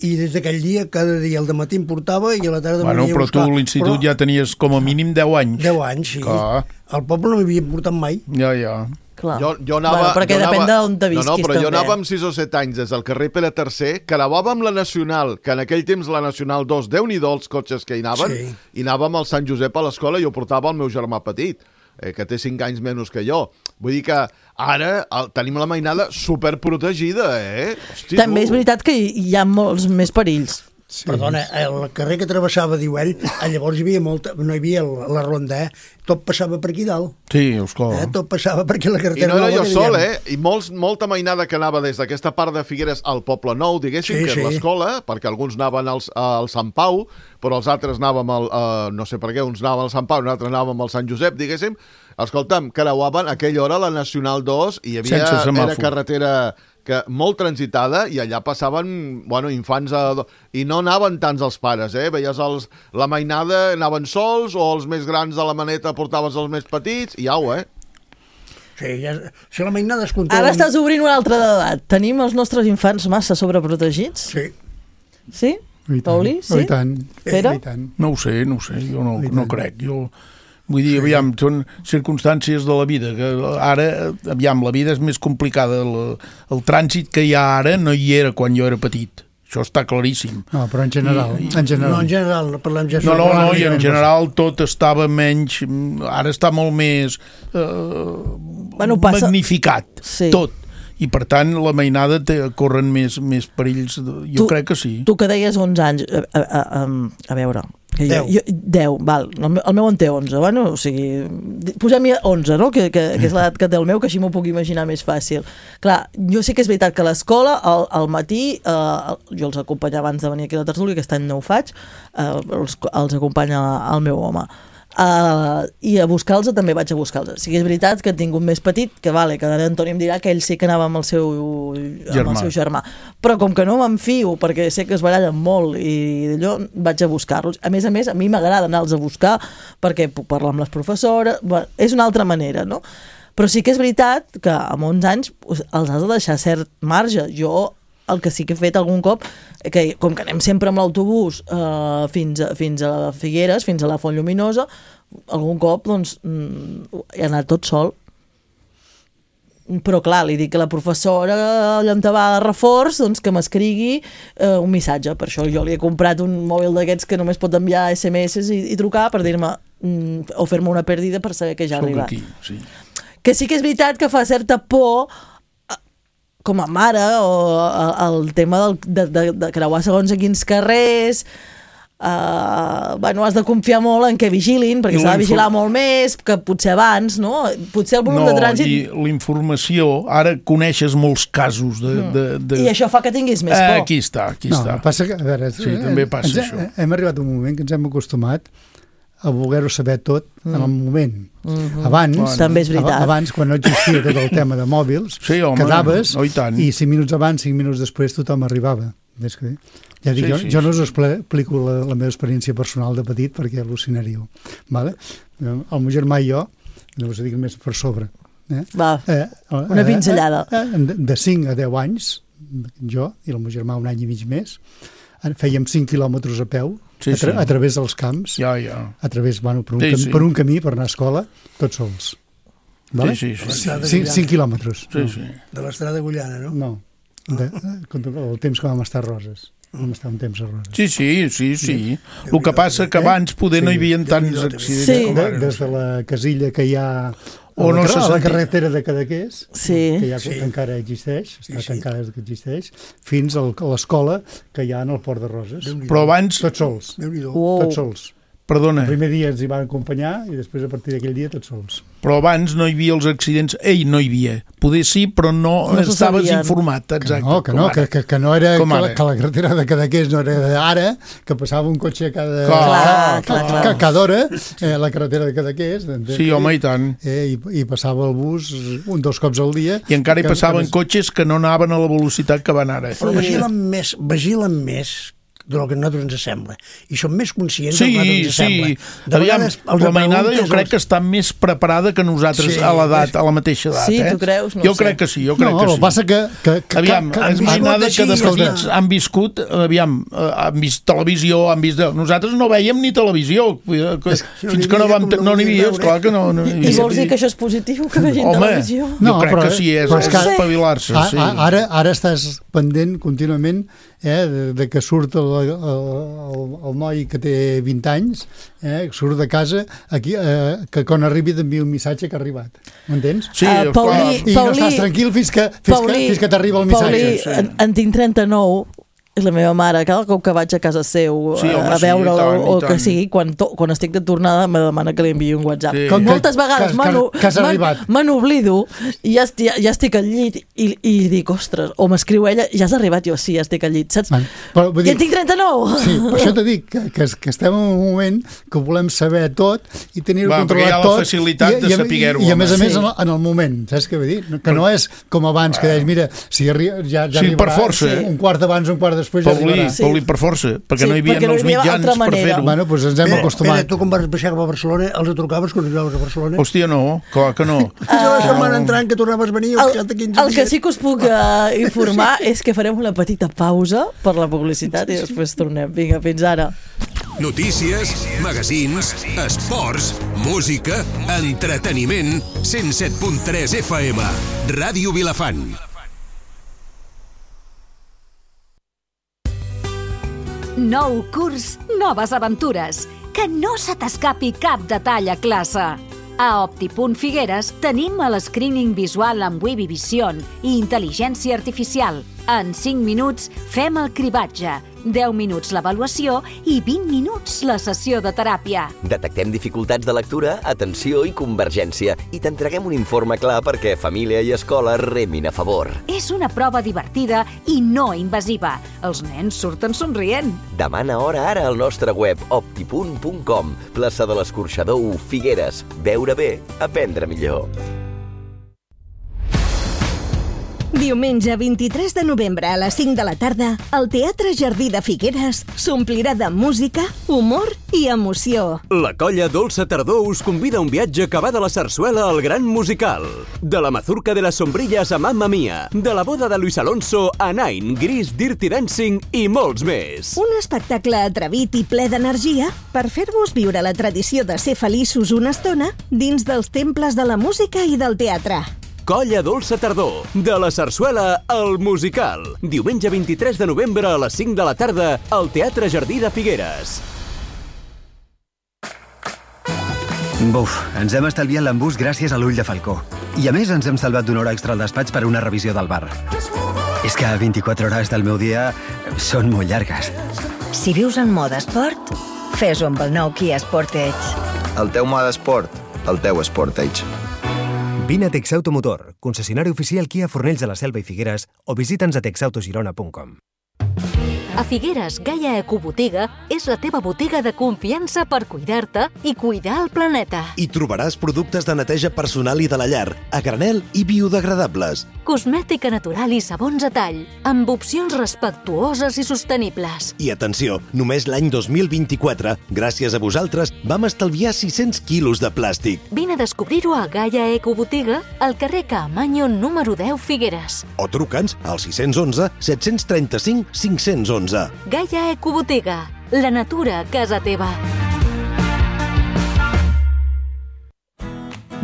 I des d'aquell dia, cada dia al dematí em portava i a la tarda venia a buscar. Però tu a l'institut ja tenies com a mínim 10 anys. 10 anys, sí. Al poble no m'havia portat mai. Ja. Jo anava, perquè depèn d'on te visquis també. Però jo anava amb 6 o 7 anys des del carrer Pere III, que anàvem la Nacional, que en aquell temps la Nacional 2, Déu-n'hi-do els cotxes que hi anaven, i anàvem al Sant Josep a l'escola i jo portava el meu germà petit, que té 5 anys menys que jo. Vull dir que ara tenim la mainada superprotegida, Hosti, també és veritat que hi ha molts més perills. Perdona, el carrer que travessava, diu ell, llavors no hi havia la ronda, tot passava per aquí dalt. Sí, esclar. Tot passava per aquí la carretera. I no era jo sol, I molta mainada que anava des d'aquesta part de Figueres al Poble Nou, diguéssim, que és l'escola, perquè alguns anaven al Sant Pau, però els altres anàvem no sé per què, uns anaven al Sant Pau i uns altres anàvem al Sant Josep, diguéssim. Escolta'm, creuaven a aquella hora la Nacional 2 i hi havia era carretera molt transitada i allà passaven infants i no anaven tants els pares, veies la mainada, anaven sols o els més grans de la maneta portaves els més petits i au, Sí, si la mainada es controla... Ara estàs obrint una altra edat. Tenim els nostres infants massa sobreprotegits? Sí. Sí? Paulí, sí? I tant. Pere? No ho sé, jo no crec. Vull dir, aviam, són circumstàncies de la vida, que ara, aviam, la vida és més complicada. El trànsit que hi ha ara no hi era quan jo era petit. Això està claríssim. No, però en general. No, en general, no parlem ja... No, i en general tot estava menys... Ara està molt més magnificat, tot. I, per tant, la mainada corren més perills. Jo crec que sí. Tu que deies 11 anys, a veure... 10, val. El meu en té 11. Bueno, o sigui, posem-hi 11, no? Que és l'edat que té el meu, que així m'ho puc imaginar més fàcil. Clar, jo sí que és veritat que a l'escola, al matí, jo els acompanyava abans de venir aquí a la tertúlia, aquest any no ho faig, els acompanya el meu home. I a buscar-los també vaig a buscar-los. Sí que és veritat que he tingut més petit, que vale, que ara Antoni em dirà que ell sí que anava amb el seu germà. Però com que no m'enfio, perquè sé que es barallen molt i d'allò, vaig a buscar-los. A més, a mi m'agrada anar-los a buscar perquè puc parlar amb les professores, és una altra manera, no? Però sí que és veritat que amb 11 anys els has de deixar cert marge. Jo el que sí que he fet algun cop, que com que anem sempre amb l'autobús fins a Figueres, fins a la Font Lluminosa, algun cop doncs he anat tot sol. Però clar, li dic que la professora allà on va de reforç, doncs que m'escrigui un missatge. Per això jo li he comprat un mòbil d'aquests que només pot enviar SMS i trucar per dir-me o fer-me una pèrdida per saber que ja ha arribat. Sí. Que sí que és veritat que fa certa por com a mare, o el tema de creuar segons a quins carrers, has de confiar molt en que vigilin, perquè s'ha de vigilar molt més que potser abans, no? Potser el volum de trànsit... No, i la informació, ara coneixes molts casos de... I això fa que tinguis més por. Aquí està. No, passa que, a veure... Sí, també passa això. Hem arribat a un moment que ens hem acostumat a voler-ho saber tot en el moment. Abans, també és veritat. Abans, quan no existia tot el tema de mòbils, quedaves i 5 minuts abans, 5 minuts després tothom arribava. Ja dic, jo no us explico la meva experiència personal de petit perquè al·lucinaríeu. El meu germà i jo, no us dic més per sobre. Va, una pinzellada. De 5 a 10 anys, jo i el meu germà un any i mig més, fèiem 5 quilòmetres a peu, a través dels camps, a través, per un camí per anar a escola, tots sols. 5 quilòmetres. De l'estrada Agullana, no? No, el temps que vam estar a Roses. Vam estar un temps a Roses. Sí. El que passa que abans poder no hi havia tants accidents com ara. Des de la casilla que hi ha a la carretera de Cadaqués, que ja encara existeix, està tancada des que existeix, fins a l'escola que hi ha en el Port de Roses. Però abans... Tots sols. Tots sols. Perdona. El primer dia ens hi van acompanyar i després a partir d'aquell dia tots sols. Però abans no hi havia els accidents. No hi havia. Poder sí, però no estaves informat. Exacte. Que no era que la carretera de Cadaqués no era d'ara, que passava un cotxe cada hora, la carretera de Cadaqués. Sí, home, i tant. I passava el bus 2 cops al dia. I encara hi passaven cotxes que no anaven a la velocitat que van ara. Però vigilen més del que a nosaltres ens sembla. I som més conscients del que a nosaltres ens sembla. Aviam, la mainada jo crec que està més preparada que nosaltres a la mateixa edat. Sí, tu creus? Jo crec que sí. No, passa que... Aviam, és mainada que de petits han viscut, han vist televisió, nosaltres no veiem ni televisió. Fins que no n'hi havia, esclar que no... I vols dir que això és positiu, que vegin televisió? Jo crec que sí, és espavilar-se. Ara estàs pendent contínuament de que surt el noi que té 20 anys, surt de casa aquí, que quan arribi t'envia un missatge que ha arribat. M'entens? Sí, i no estàs tranquil fins que t'arriba el missatge. Paulí, en tinc 39 I la meva mare, cada cop que vaig a casa seu a veure'la o que sigui, quan estic de tornada me demana que li enviï un WhatsApp. Moltes vegades me n'oblido i ja estic al llit i dic, ostres, o m'escriu ella, ja has arribat? Jo, sí, ja estic al llit, saps? I en tinc 39! Sí, per això t'he dit que estem en un moment que volem saber tot i tenir-ho controlat tot. Perquè hi ha la facilitat de saber-ho. I a més en el moment, saps què vull dir? Que no és com abans, que deies, mira, si ja arribarà un quart abans, un quart després ja arribarà. Paulí, per força, perquè no hi havia els mitjans per fer-ho. Bueno, doncs ens hem acostumat. Tu quan vas baixar a Barcelona, els trucaves quan arribaves a Barcelona? Hòstia, no, clar que no. La setmana entrant que tornaves a venir... El que sí que us puc informar és que farem una petita pausa per la publicitat i després tornem. Vinga, fins ara. Notícies, magazins, esports, música, entreteniment, 107.3 FM, Ràdio Vilafant. Nou curs, noves aventures. Que no se t'escapi cap detall a classe. A Opti.Figueres tenim l'escreening visual amb Webby Vision i intel·ligència artificial. En 5 minuts fem el cribatge, 10 minuts l'avaluació i 20 minuts la sessió de teràpia. Detectem dificultats de lectura, atenció i convergència i t'entreguem un informe clar perquè família i escola remin a favor. És una prova divertida i no invasiva. Els nens surten somrient. Demana hora ara al nostre web opti.com, plaça de l'Escorxador 1, Figueres. Veure bé, aprendre millor. Diumenge 23 de novembre a les 5 de la tarda, el Teatre Jardí de Figueres s'omplirà de música, humor i emoció. La colla Dolça Tardor us convida a un viatge que va de la sarsuela al gran musical. De la mazurca de las sombrillas a Mamma Mia, de la boda de Luis Alonso a Nine, Gris, Dirty Dancing i molts més. Un espectacle atrevit i ple d'energia per fer-vos viure la tradició de ser feliços una estona dins dels temples de la música i del teatre. Colla Dolça Tardor, de la sarsuela al musical. Diumenge 23 de novembre a les 5 de la tarda al Teatre Jardí de Figueres. Buf, ens hem estalviat l'embús gràcies a l'ull de falcó. I a més ens hem salvat d'una hora extra al despatx per una revisió del bar. És que 24 hores del meu dia són molt llargues. Si vius en mode esport, fes-ho amb el nou Kia Sportage. El teu mode esport, el teu Sportage. Vine a Texauto Motor, concessionari oficial Kia Fornells de la Selva i Figueres o visita'ns a texautogirona.com. A Figueres, Gaia Ecobotiga és la teva botiga de confiança per cuidar-te i cuidar el planeta. Hi trobaràs productes de neteja personal i de la llar, a granel i biodegradables. Cosmètica natural i sabons a tall, amb opcions respectuoses i sostenibles. I atenció, només l'any 2024, gràcies a vosaltres, vam estalviar 600 quilos de plàstic. Vine a descobrir-ho a Gaia Ecobotiga, al carrer Caamaño número 10 Figueres. O truca'ns al 611 735 511. Gaia Ecobotiga, la natura a casa teva.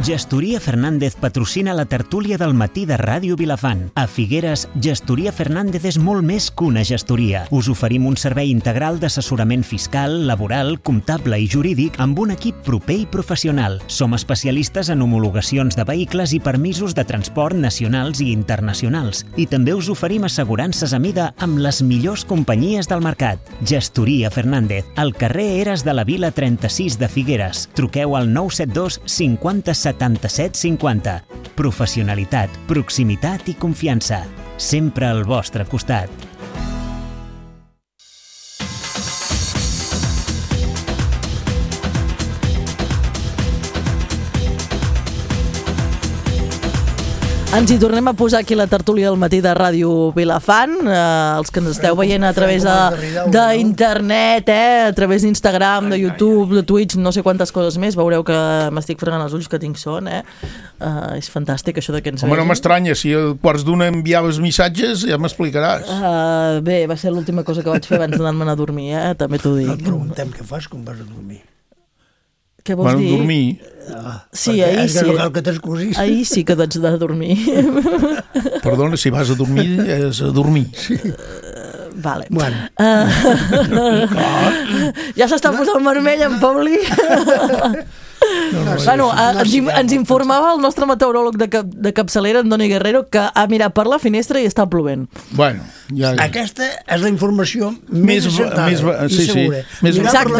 Gestoria Fernández patrocina la tertúlia del matí de Ràdio Vilafant. A Figueres, Gestoria Fernández és molt més que una gestoria. Us oferim un servei integral d'assessorament fiscal, laboral, comptable i jurídic amb un equip proper i professional. Som especialistes en homologacions de vehicles i permisos de transport nacionals i internacionals. I també us oferim assegurances a mida amb les millors companyies del mercat. Gestoria Fernández, al carrer Eres de la Vila 36 de Figueres. Truqueu al 972 50 77 50. Professionalitat, proximitat i confiança. Sempre al vostre costat. Ens hi tornem a posar aquí la tertúlia del matí de Ràdio Vilafant, els que ens esteu veient a través d'internet, a través d'Instagram, de YouTube, de Twitch, no sé quantes coses més, veureu que m'estic fregant els ulls que tinc son, és fantàstic això de que ens vegin. Home, no m'estranya, si a quarts d'una enviaves missatges ja m'explicaràs. Bé, va ser l'última cosa que vaig fer abans d'anar-me'n a dormir, també t'ho dic. Et preguntem què fas quan vas a dormir. Què vols dir? Dormir. Sí, ahir sí. Ahir sí que t'haig de dormir. Perdona, si vas a dormir, és a dormir. Vale. Bueno. Ja s'està posant vermell en Pauli. Bueno, ens informava el nostre meteoròleg de capçalera, Andoni Guerrero, que ha mirat per la finestra i està plovent. Bueno, ja... Aquesta és la informació més encertada i segura.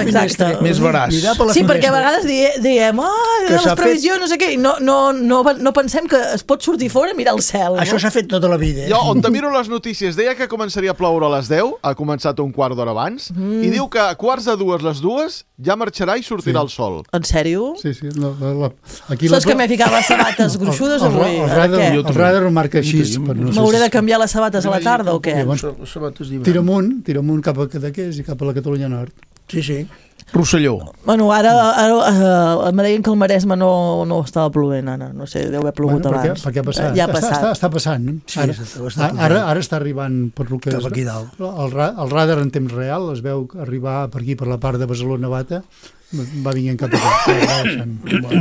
Exacte. Més veraç. Sí, perquè a vegades diem les previsions, no sé què, i no pensem que es pot sortir fora i mirar el cel. Això s'ha fet tota la vida. Jo, on te miro les notícies, deia que començaria a ploure a les 10, ha començat un quart d'hora abans, i diu que a quarts de les 2 ja marxarà i sortirà el sol. En sèrio? Sí. Saps que m'he ficat les sabates gruixudes avui? El radar ho marca així. M'hauré de canviar les sabates a la tarda o què? Tira amunt cap a Cadaqués i cap a la Catalunya Nord. Sí. Rosselló. Bueno, ara me deien que el Maresme no estava plovent, Anna. No sé, deu haver plogut abans. Perquè ha passat. Ja ha passat. Està passant. Ara està arribant per lo que cap aquí dalt. El radar en temps real es veu arribar per aquí, per la part de Besalú-Navata, va vinguent cap aquí.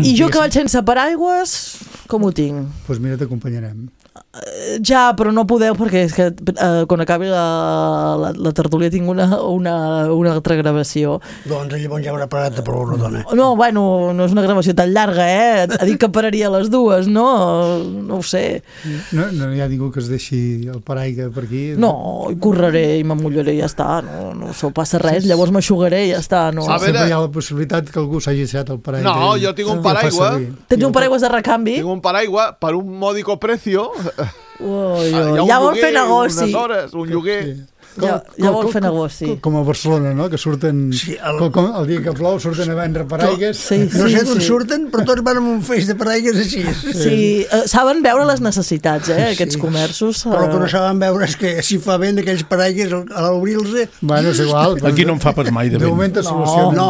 I jo que vaig sense paraigües, com ho tinc? Doncs mira, t'acompanyarem. Ja, però no podeu perquè és que quan acabi la tertúlia tinc una altra gravació. Doncs llavors ja haurà parat de ploure, dona. No, bueno, no és una gravació tan llarga, Ha dit que pararia a les 2, no? No ho sé. No hi ha ningú que es deixi el paraigua per aquí? No, correré i m'amullaré i ja està, no passa res, llavors m'aixugaré i ja està. Sempre hi ha la possibilitat que algú s'hagi deixat el paraigua. No, jo tinc un paraigua. Tens un paraigua de recanvi? Tinc un paraigua per un mòdico precio. Ja vol fer negoci. Un lloguer. Ja vol fer negoci. Com a Barcelona, no? Que surten... El dia que plou surten a vendre paraigues. No sé d'on surten, però tots van amb un feix de paraigues així. Sí, saben veure les necessitats, aquests comerços. Però el que no saben veure és que si fa vent aquells paraigues a l'obrir-los... Bueno, és igual. Aquí no en fa pas mai de vent. De moment es soluciona. No.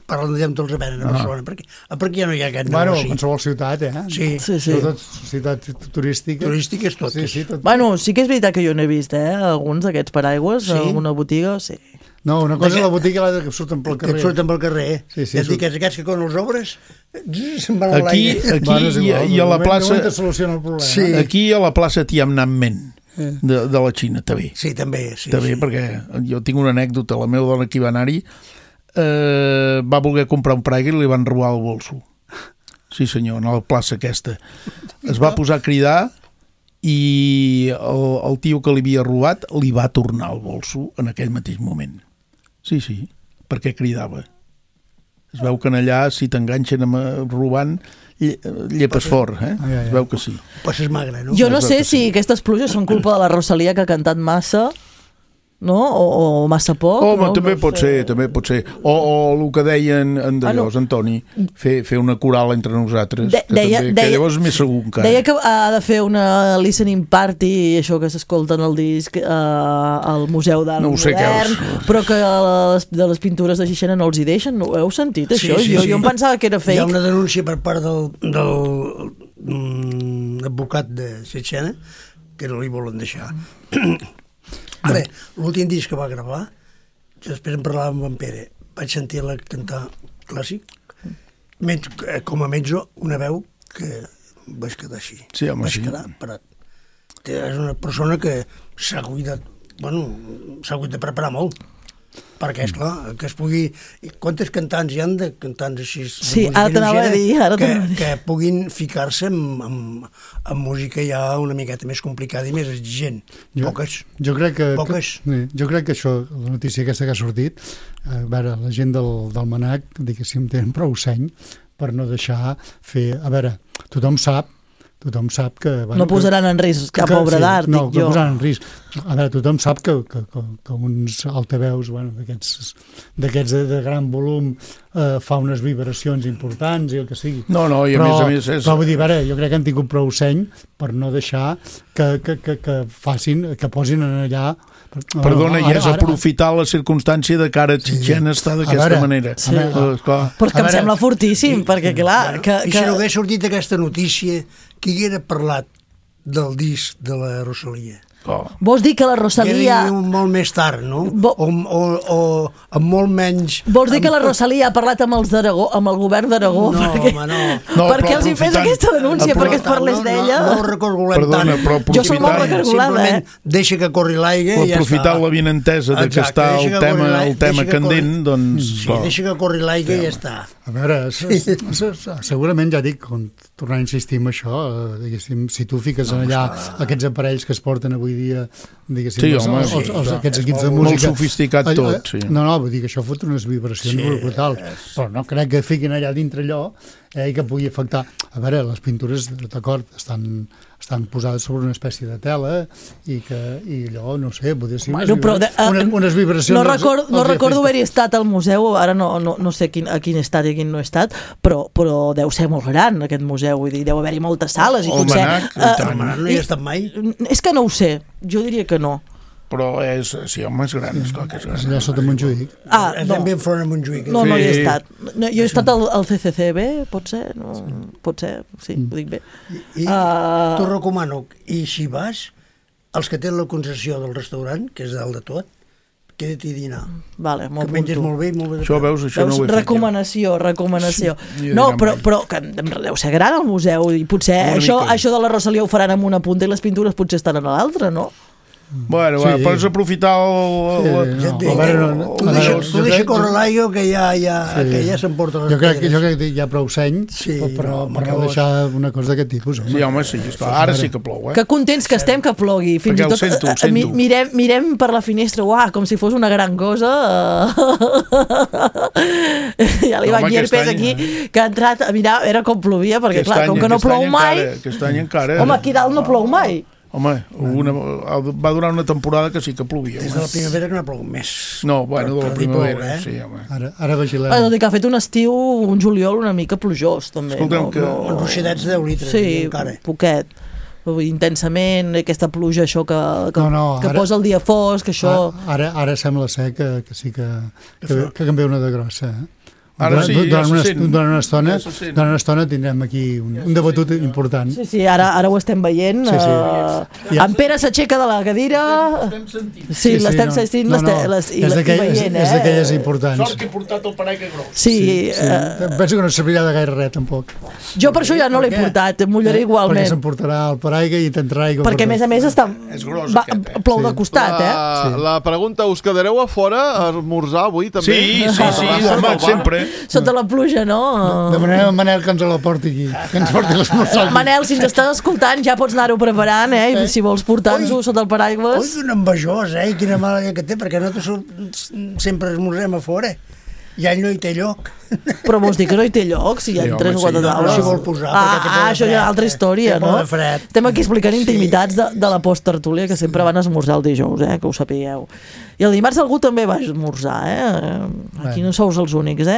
Parlant de tots els venen a Barcelona, perquè ja no hi ha aquest negoci. Bueno, qualsevol ciutat, Sí. Sobretot ciutat turística. Turística és tot. Sí, tot. Bueno, sí que és veritat que jo n'he vist, alguns d'aquests paraigües, en alguna botiga, sí. No, una cosa és la botiga i l'altra que surten pel carrer. Que surten pel carrer. Sí, ja et dic que aquests que quan els obres se'n van a l'aire. Aquí i a la plaça... De moment soluciona el problema. Aquí a la plaça Tiananmen de la Xina, també. Sí, també. També, perquè jo tinc una anècdota, la meva dona que hi va anar-hi va voler comprar un paraigua i li van robar el bolso. Sí senyor, a la plaça aquesta. Es va posar a cridar i el tio que li havia robat li va tornar el bolso en aquell mateix moment. Sí, perquè cridava. Es veu que allà si t'enganxen robant llepes fort, es veu que sí. Pues és magre, no? Jo no sé si aquestes pluges són culpa de la Rosalia que ha cantat massa, no? O massa poc. Home, també pot ser. O el que deien en Dallós, Antoni, fer una coral entre nosaltres, que llavors és més segur encara. Deia que ha de fer una listening party, això que s'escolta en el disc al Museu d'Art Modern, però que de les pintures de Xixena no els hi deixen. No ho heu sentit, això? Jo em pensava que era fake. Hi ha una denúncia per part del advocat de Xixena que no li volen deixar. Ara, l'últim disc que va gravar, jo després en parlava amb en Pere, vaig sentir-la cantar clàssic, com a mezzo, una veu que vaig quedar així. Sí, home, vaig quedar parat. És una persona que s'ha cuidat, s'ha hagut de preparar molt, perquè, esclar, que es pugui... Quantes cantants hi han de cantants així? Sí, ara t'anava a dir. Que puguin ficar-se en música ja una miqueta més complicada i més exigent. Poques. Jo crec que això, la notícia aquesta que ha sortit, a veure, la gent del Manac, diguéssim, tenen prou seny per no deixar fer... A veure, tothom sap que... No posaran en risc cap obra d'art, dic jo. No posaran en risc. A veure, tothom sap que uns altaveus d'aquests de gran volum fa unes vibracions importants i el que sigui. No, i a més... Però vull dir, a veure, jo crec que han tingut prou seny per no deixar que posin allà... Perdona, i és aprofitar la circumstància de cara a Xixena està d'aquesta manera. Però que em sembla fortíssim, perquè clar... I si no hagués sortit aquesta notícia, qui haguera parlat del disc de la Rosalia? Vols dir que la Rosalia... molt més tard, no? O amb molt menys... Vols dir que la Rosalia ha parlat amb els d'Aragó, amb el govern d'Aragó? No, perquè els hi fes aquesta denúncia, perquè es parlés d'ella? No recorgolem tant. Jo soc molt recorgolada, Simplement deixa que corri l'aigua i ja està. Aprofitar la benentesa que està el tema candent, doncs... Sí, deixa que corri l'aigua i ja està. A veure, segurament, ja dic, tornar a insistir en això, diguéssim, si tu fiques allà aquests aparells que es porten avui dia, diguéssim, aquests equips de música... Molt sofisticat tot, sí. No, vull dir que això fot unes vibracions brutals, però no crec que fiquin allà dintre allò i que pugui afectar... A veure, les pintures, d'acord, estan posades sobre una espècie de tela i allò, no sé, podria ser unes vibracions... No recordo haver-hi estat al museu, ara no sé a quin estat i a quin no he estat, però deu ser molt gran aquest museu, vull dir, deu haver-hi moltes sales i potser... No hi he estat mai. És que no ho sé, jo diria que no. Però sí, home, és gran, esclar que és gran. Allà sota Montjuïc. També enfront a Montjuïc. No hi he estat. Jo he estat al CCCB, pot ser? Pot ser, sí, ho dic bé. T'ho recomano, i si vas, els que tenen la concessió del restaurant, que és dalt de tot, queda't i dinar. Vale, que menges molt bé i molt bé. Això veus, això no ho he fet. Recomanació. No, però que deu ser gran el museu, i potser això de la Rosalia ho faran amb una punta i les pintures potser estan a l'altra, no? Bueno, pots aprofitar tu deixa córrer l'aigua que ja s'emporta les pedres. Jo crec que hi ha prou seny per no deixar una cosa d'aquest tipus. Sí, home, sí, ara sí que plou. Que contents que estem que plogui. Fins i tot mirem per la finestra, com si fos una gran cosa. Hi ha l'Ivan Llerpes aquí, que ha entrat a mirar, era com plovia, perquè clar, com que no plou mai... Aquest any encara... Home, aquí dalt no plou mai. Home, va durar una temporada que sí que plovia. Des de la primavera que no ha plogut més. No, bueno, de la primavera, sí, home. Ara vigilem. Tot i que ha fet un estiu, un juliol una mica plujós, també. Escolta'm que... Uns ruixadets de 10 litres. Sí, poquet. Intensament, aquesta pluja, això que posa el dia fosc, això... Ara sembla ser que sí que canvia una de grossa, Ara sí, durant una estona tindrem aquí un debatut important. Sí, ara ho estem veient. En Pere s'aixeca de la cadira. Sí, l'estem sentint i veient. És d'aquelles importants. Sort que he portat el paraigua gros. Sí. Penso que no servirà de gaire res, tampoc. Jo per això ja no l'he portat, em mullaré igualment. Perquè s'emportarà el paraigua i t'entrarà aigua. Perquè a més està... plou de costat, La pregunta, us quedareu a fora a esmorzar avui també? Sí, home, sempre. Sota la pluja, no? Demanem a Manel que ens la porti aquí, que ens porti l'esmorzar. Manel, si ens estàs escoltant, ja pots anar-ho preparant, i si vols portar-nos-ho sota el paraigües. Oi, un envejós, i quina mala idea que té, perquè nosaltres sempre esmorzem a fora. Ja no hi té lloc. Però vols dir que no hi té lloc? Si hi ha 3 o 4 taules. Si vol posar. Això és una altra història, no? Estem aquí explicant intimitats de la post-tertúlia, que sempre van esmorzar el dijous, que ho sapigueu. I el dimarts algú també va esmorzar, Aquí no sous els únics,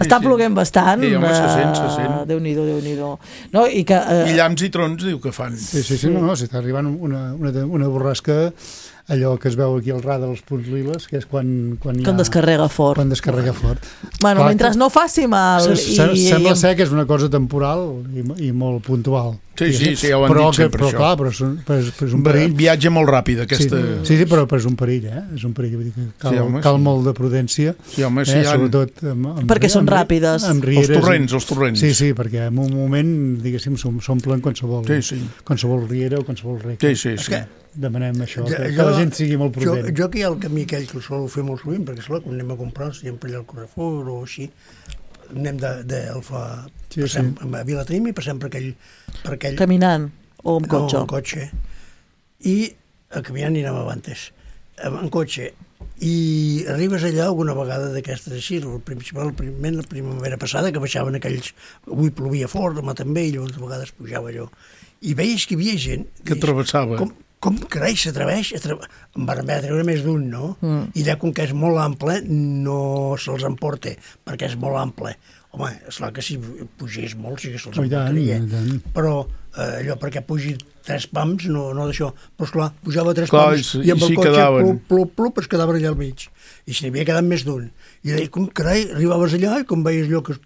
Està ploguent bastant. Sí, home, se sent. Déu-n'hi-do. I llamps i trons diu que fan. Sí, no, s'està arribant una borrasca, allò que es veu aquí al rar dels punts liles, que és quan descarrega fort. Quan descarrega fort. Bueno, mentre no faci mal... Sembla ser que és una cosa temporal i molt puntual. Sí, ja ho han dit sempre, això. Però és un perill. Viatge molt ràpid, aquesta... Sí, però és un perill, És un perill, vull dir que cal molt de prudència. Sí, home, sí. Sobretot... Perquè són ràpides. Els torrents. Sí, perquè en un moment, diguéssim, s'omplen qualsevol riera o qualsevol rec. Sí. Demanem això, que la gent sigui molt prudent. Jo aquí el camí aquell que el sol fer molt sovint, perquè esclar, quan anem a comprar, sempre allà al Carrefour o així, anem d'Alfa a Vilatrim i passem per aquell... Caminant o amb cotxe? No, amb cotxe. I caminant i anem avantes. En cotxe. I arribes allà alguna vegada d'aquestes així, principalment la primavera passada, que baixaven aquells... Avui plovia fort, demà també, i llavors a vegades pujava allò. I veies que hi havia gent... Que travessava. Com carai s'atreveix? En van haver de treure més d'un, no? I allà, com que és molt ample, no se'ls emporta, perquè és molt ample. Home, esclar que si pugés molt sí que se'ls emportaria. Però allò perquè pugi 3 pams, no d'això. Però esclar, pujava 3 pams i amb el cotxe plup, es quedava allà al mig. I si n'hi havia quedat més d'un. I deia, com carai, arribaves allà i com veies allò que...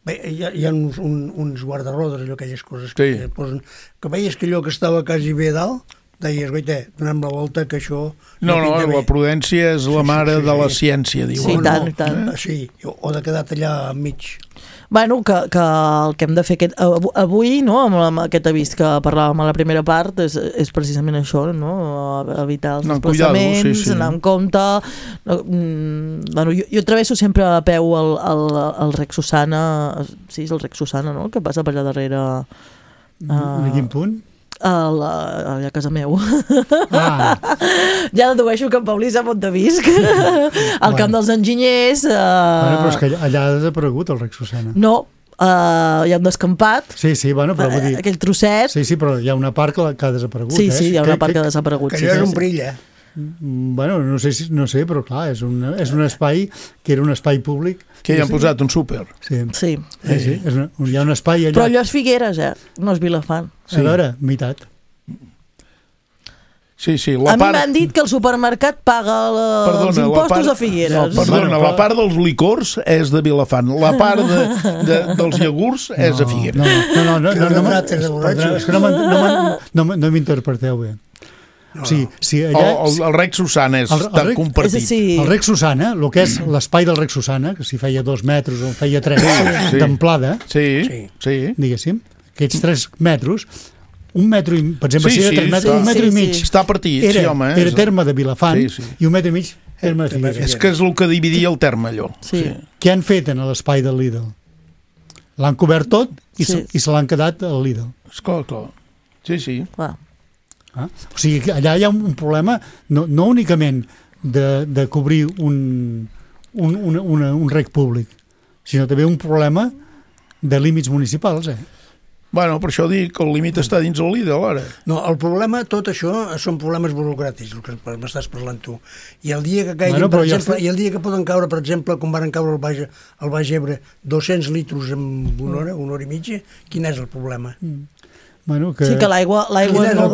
Bé, hi ha uns guardarodes, allò, aquelles coses que posen, que veies que allò que estava quasi bé dalt, deies, goita, donem la volta, que això... No, la prudència és la mare de la ciència, diu. Sí, tant. Sí, o de quedar allà enmig. Bueno, que el que hem de fer avui, no, amb aquest avís que parlàvem a la primera part, és precisament això, no? Evitar els desplaçaments, anar amb compte. Bueno, jo travesso sempre a peu el Rec Susana, sí, és el Rec Susana, no?, que passa per allà darrere... A quin punt? a casa meu. Ja dedueixo que en Paulí sap on te visc. Al camp dels enginyers... Però és que allà ha desaparegut el Rec Susana. No, hi ha un descampat. Sí, bueno, però vull dir... Aquell trosset. Sí, però hi ha una part que ha desaparegut. Sí, hi ha una part que ha desaparegut. Que allò és un perill, Bueno, no sé, però clar, és un espai que era un espai públic. Que hi han posat un súper. Sí. Hi ha un espai allà. Però allò és Figueres, no és Vilafant. A veure, meitat. Sí, a mi m'han dit que el supermercat paga els impostos a Figueres. Perdona, la part dels licors és de Vilafant, la part dels iogurts és de Figueres. No m'interpreteu bé. El Rec Susana està compartit. El Rec Susana, el que és l'espai del Rec Susana, que si feia 2 metres o feia 3 d'amplada, diguéssim, aquests 3 metres, un metro, per exemple, si era 3 metres, un metro i mig, està partit, era terme de Vilafant i un metro i mig terme de Figueres. És que és el que dividia el terme, allò. Què han fet en l'espai del Lidl? L'han cobert tot i se l'han quedat al Lidl. Esclar. Sí. O sigui, allà hi ha un problema no únicament de cobrir un rec públic, sinó també un problema de límits municipals, Bueno, per això dic que el límit està dins el Lidl, ara. No, el problema, tot això, són problemes burocràtics, el que m'estàs parlant tu. I el dia que caiguin, per exemple, i el dia que poden caure, per exemple, com van caure al Baix Ebre, 200 litros en una hora i mitja, quin és el problema? Sí, que l'aigua no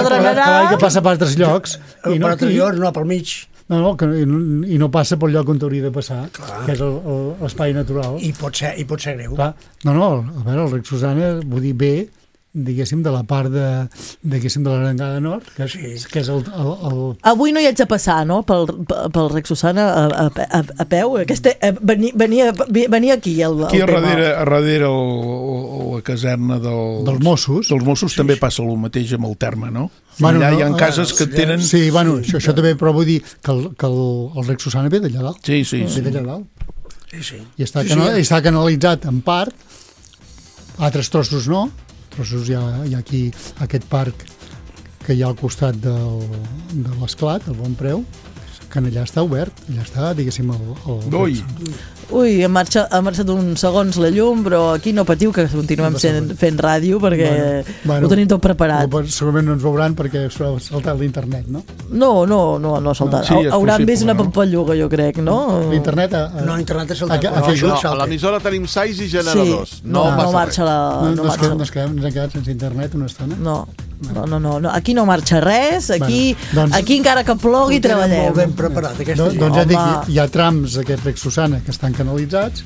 drenarà. Que passa per altres llocs. Per altres llocs, no, pel mig. I no passa pel lloc on hauria de passar, que és l'espai natural. I pot ser greu. A veure, el Rec Susana, vull dir, bé, diguéssim, de la part de l'Arengada Nord, que és el... Avui no hi haig de passar, no?, pel Rec Susana a peu. Venia aquí. Aquí a darrere la caserna dels Mossos. Dels Mossos també passa el mateix amb el terme, no? Allà hi ha cases que tenen... Sí, bueno, això també, però vull dir que el Rec Susana ve d'allà dalt. Sí. Ve d'allà dalt. I està canalitzat en part, altres trossos no, trossos hi ha aquí aquest parc que hi ha al costat de l'Esclat, el Bon Preu, que allà està obert, allà està, diguéssim, Ui, ha marxat uns segons la llum, però aquí no patiu que continuem fent ràdio perquè ho tenim tot preparat. Segurament no ens veuran perquè ha saltat l'internet, no? No ha saltat. Hauran vist una pampalluga, jo crec, no? L'internet No, l'internet ha saltat. A l'emissora tenim 6 i generadors. No marxa res. Ens hem quedat sense internet una estona? No. Aquí no marxa res, aquí encara que plogui treballem. Molt ben preparat, aquesta gent. Doncs ja dic, hi ha trams d'aquest Rec Susana que estan canalitzats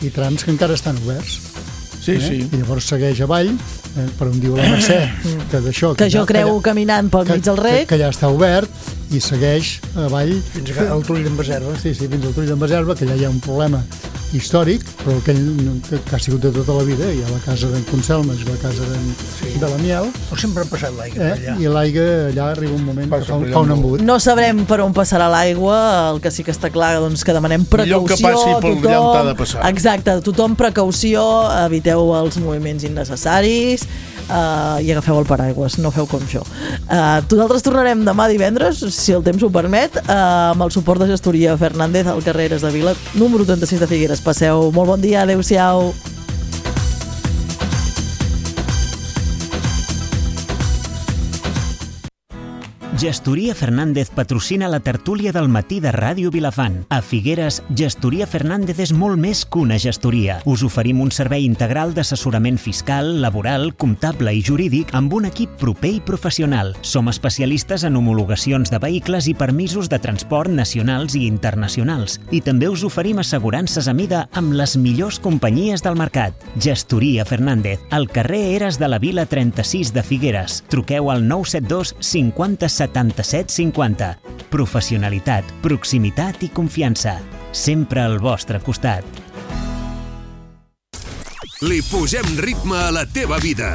i trams que encara estan oberts. Sí. I llavors segueix avall, per on diu la Mercè, que jo creu caminant pel mig del rec, que ja està obert, i segueix avall fins al Tull d'en Baserva. Sí, fins al Tull d'en Baserva, que allà hi ha un problema històric, però que ha sigut de tota la vida. Hi ha la casa d'en Conselmes, la casa de la Miel. Però sempre ha passat l'aigua allà. I l'aigua allà arriba un moment que fa un embut. No sabrem per on passarà l'aigua, el que sí que està clar, doncs, que demanem precaució. Millor que passi per allà on t'ha de passar. Exacte, tothom precaució, eviteu els moviments innecessaris i agafeu el paraigües, no feu com jo. Nosaltres tornarem demà divendres, si el temps ho permet, amb el suport de gestoria Fernández al carrer Eres de Vila, número 36 de Figueres. Passeu molt bon dia, adeu-siau. Gestoria Fernández patrocina la tertúlia del matí de Ràdio Vilafant. A Figueres, Gestoria Fernández és molt més que una gestoria. Us oferim un servei integral d'assessorament fiscal, laboral, comptable i jurídic amb un equip proper i professional. Som especialistes en homologacions de vehicles i permisos de transport nacionals i internacionals. I també us oferim assegurances a mida amb les millors companyies del mercat. Gestoria Fernández, al carrer Eres de la Vila 36 de Figueres. Truqueu al 972 50 77 50. Professionalitat, proximitat i confiança. Sempre al vostre costat. Li posem ritme a la teva vida.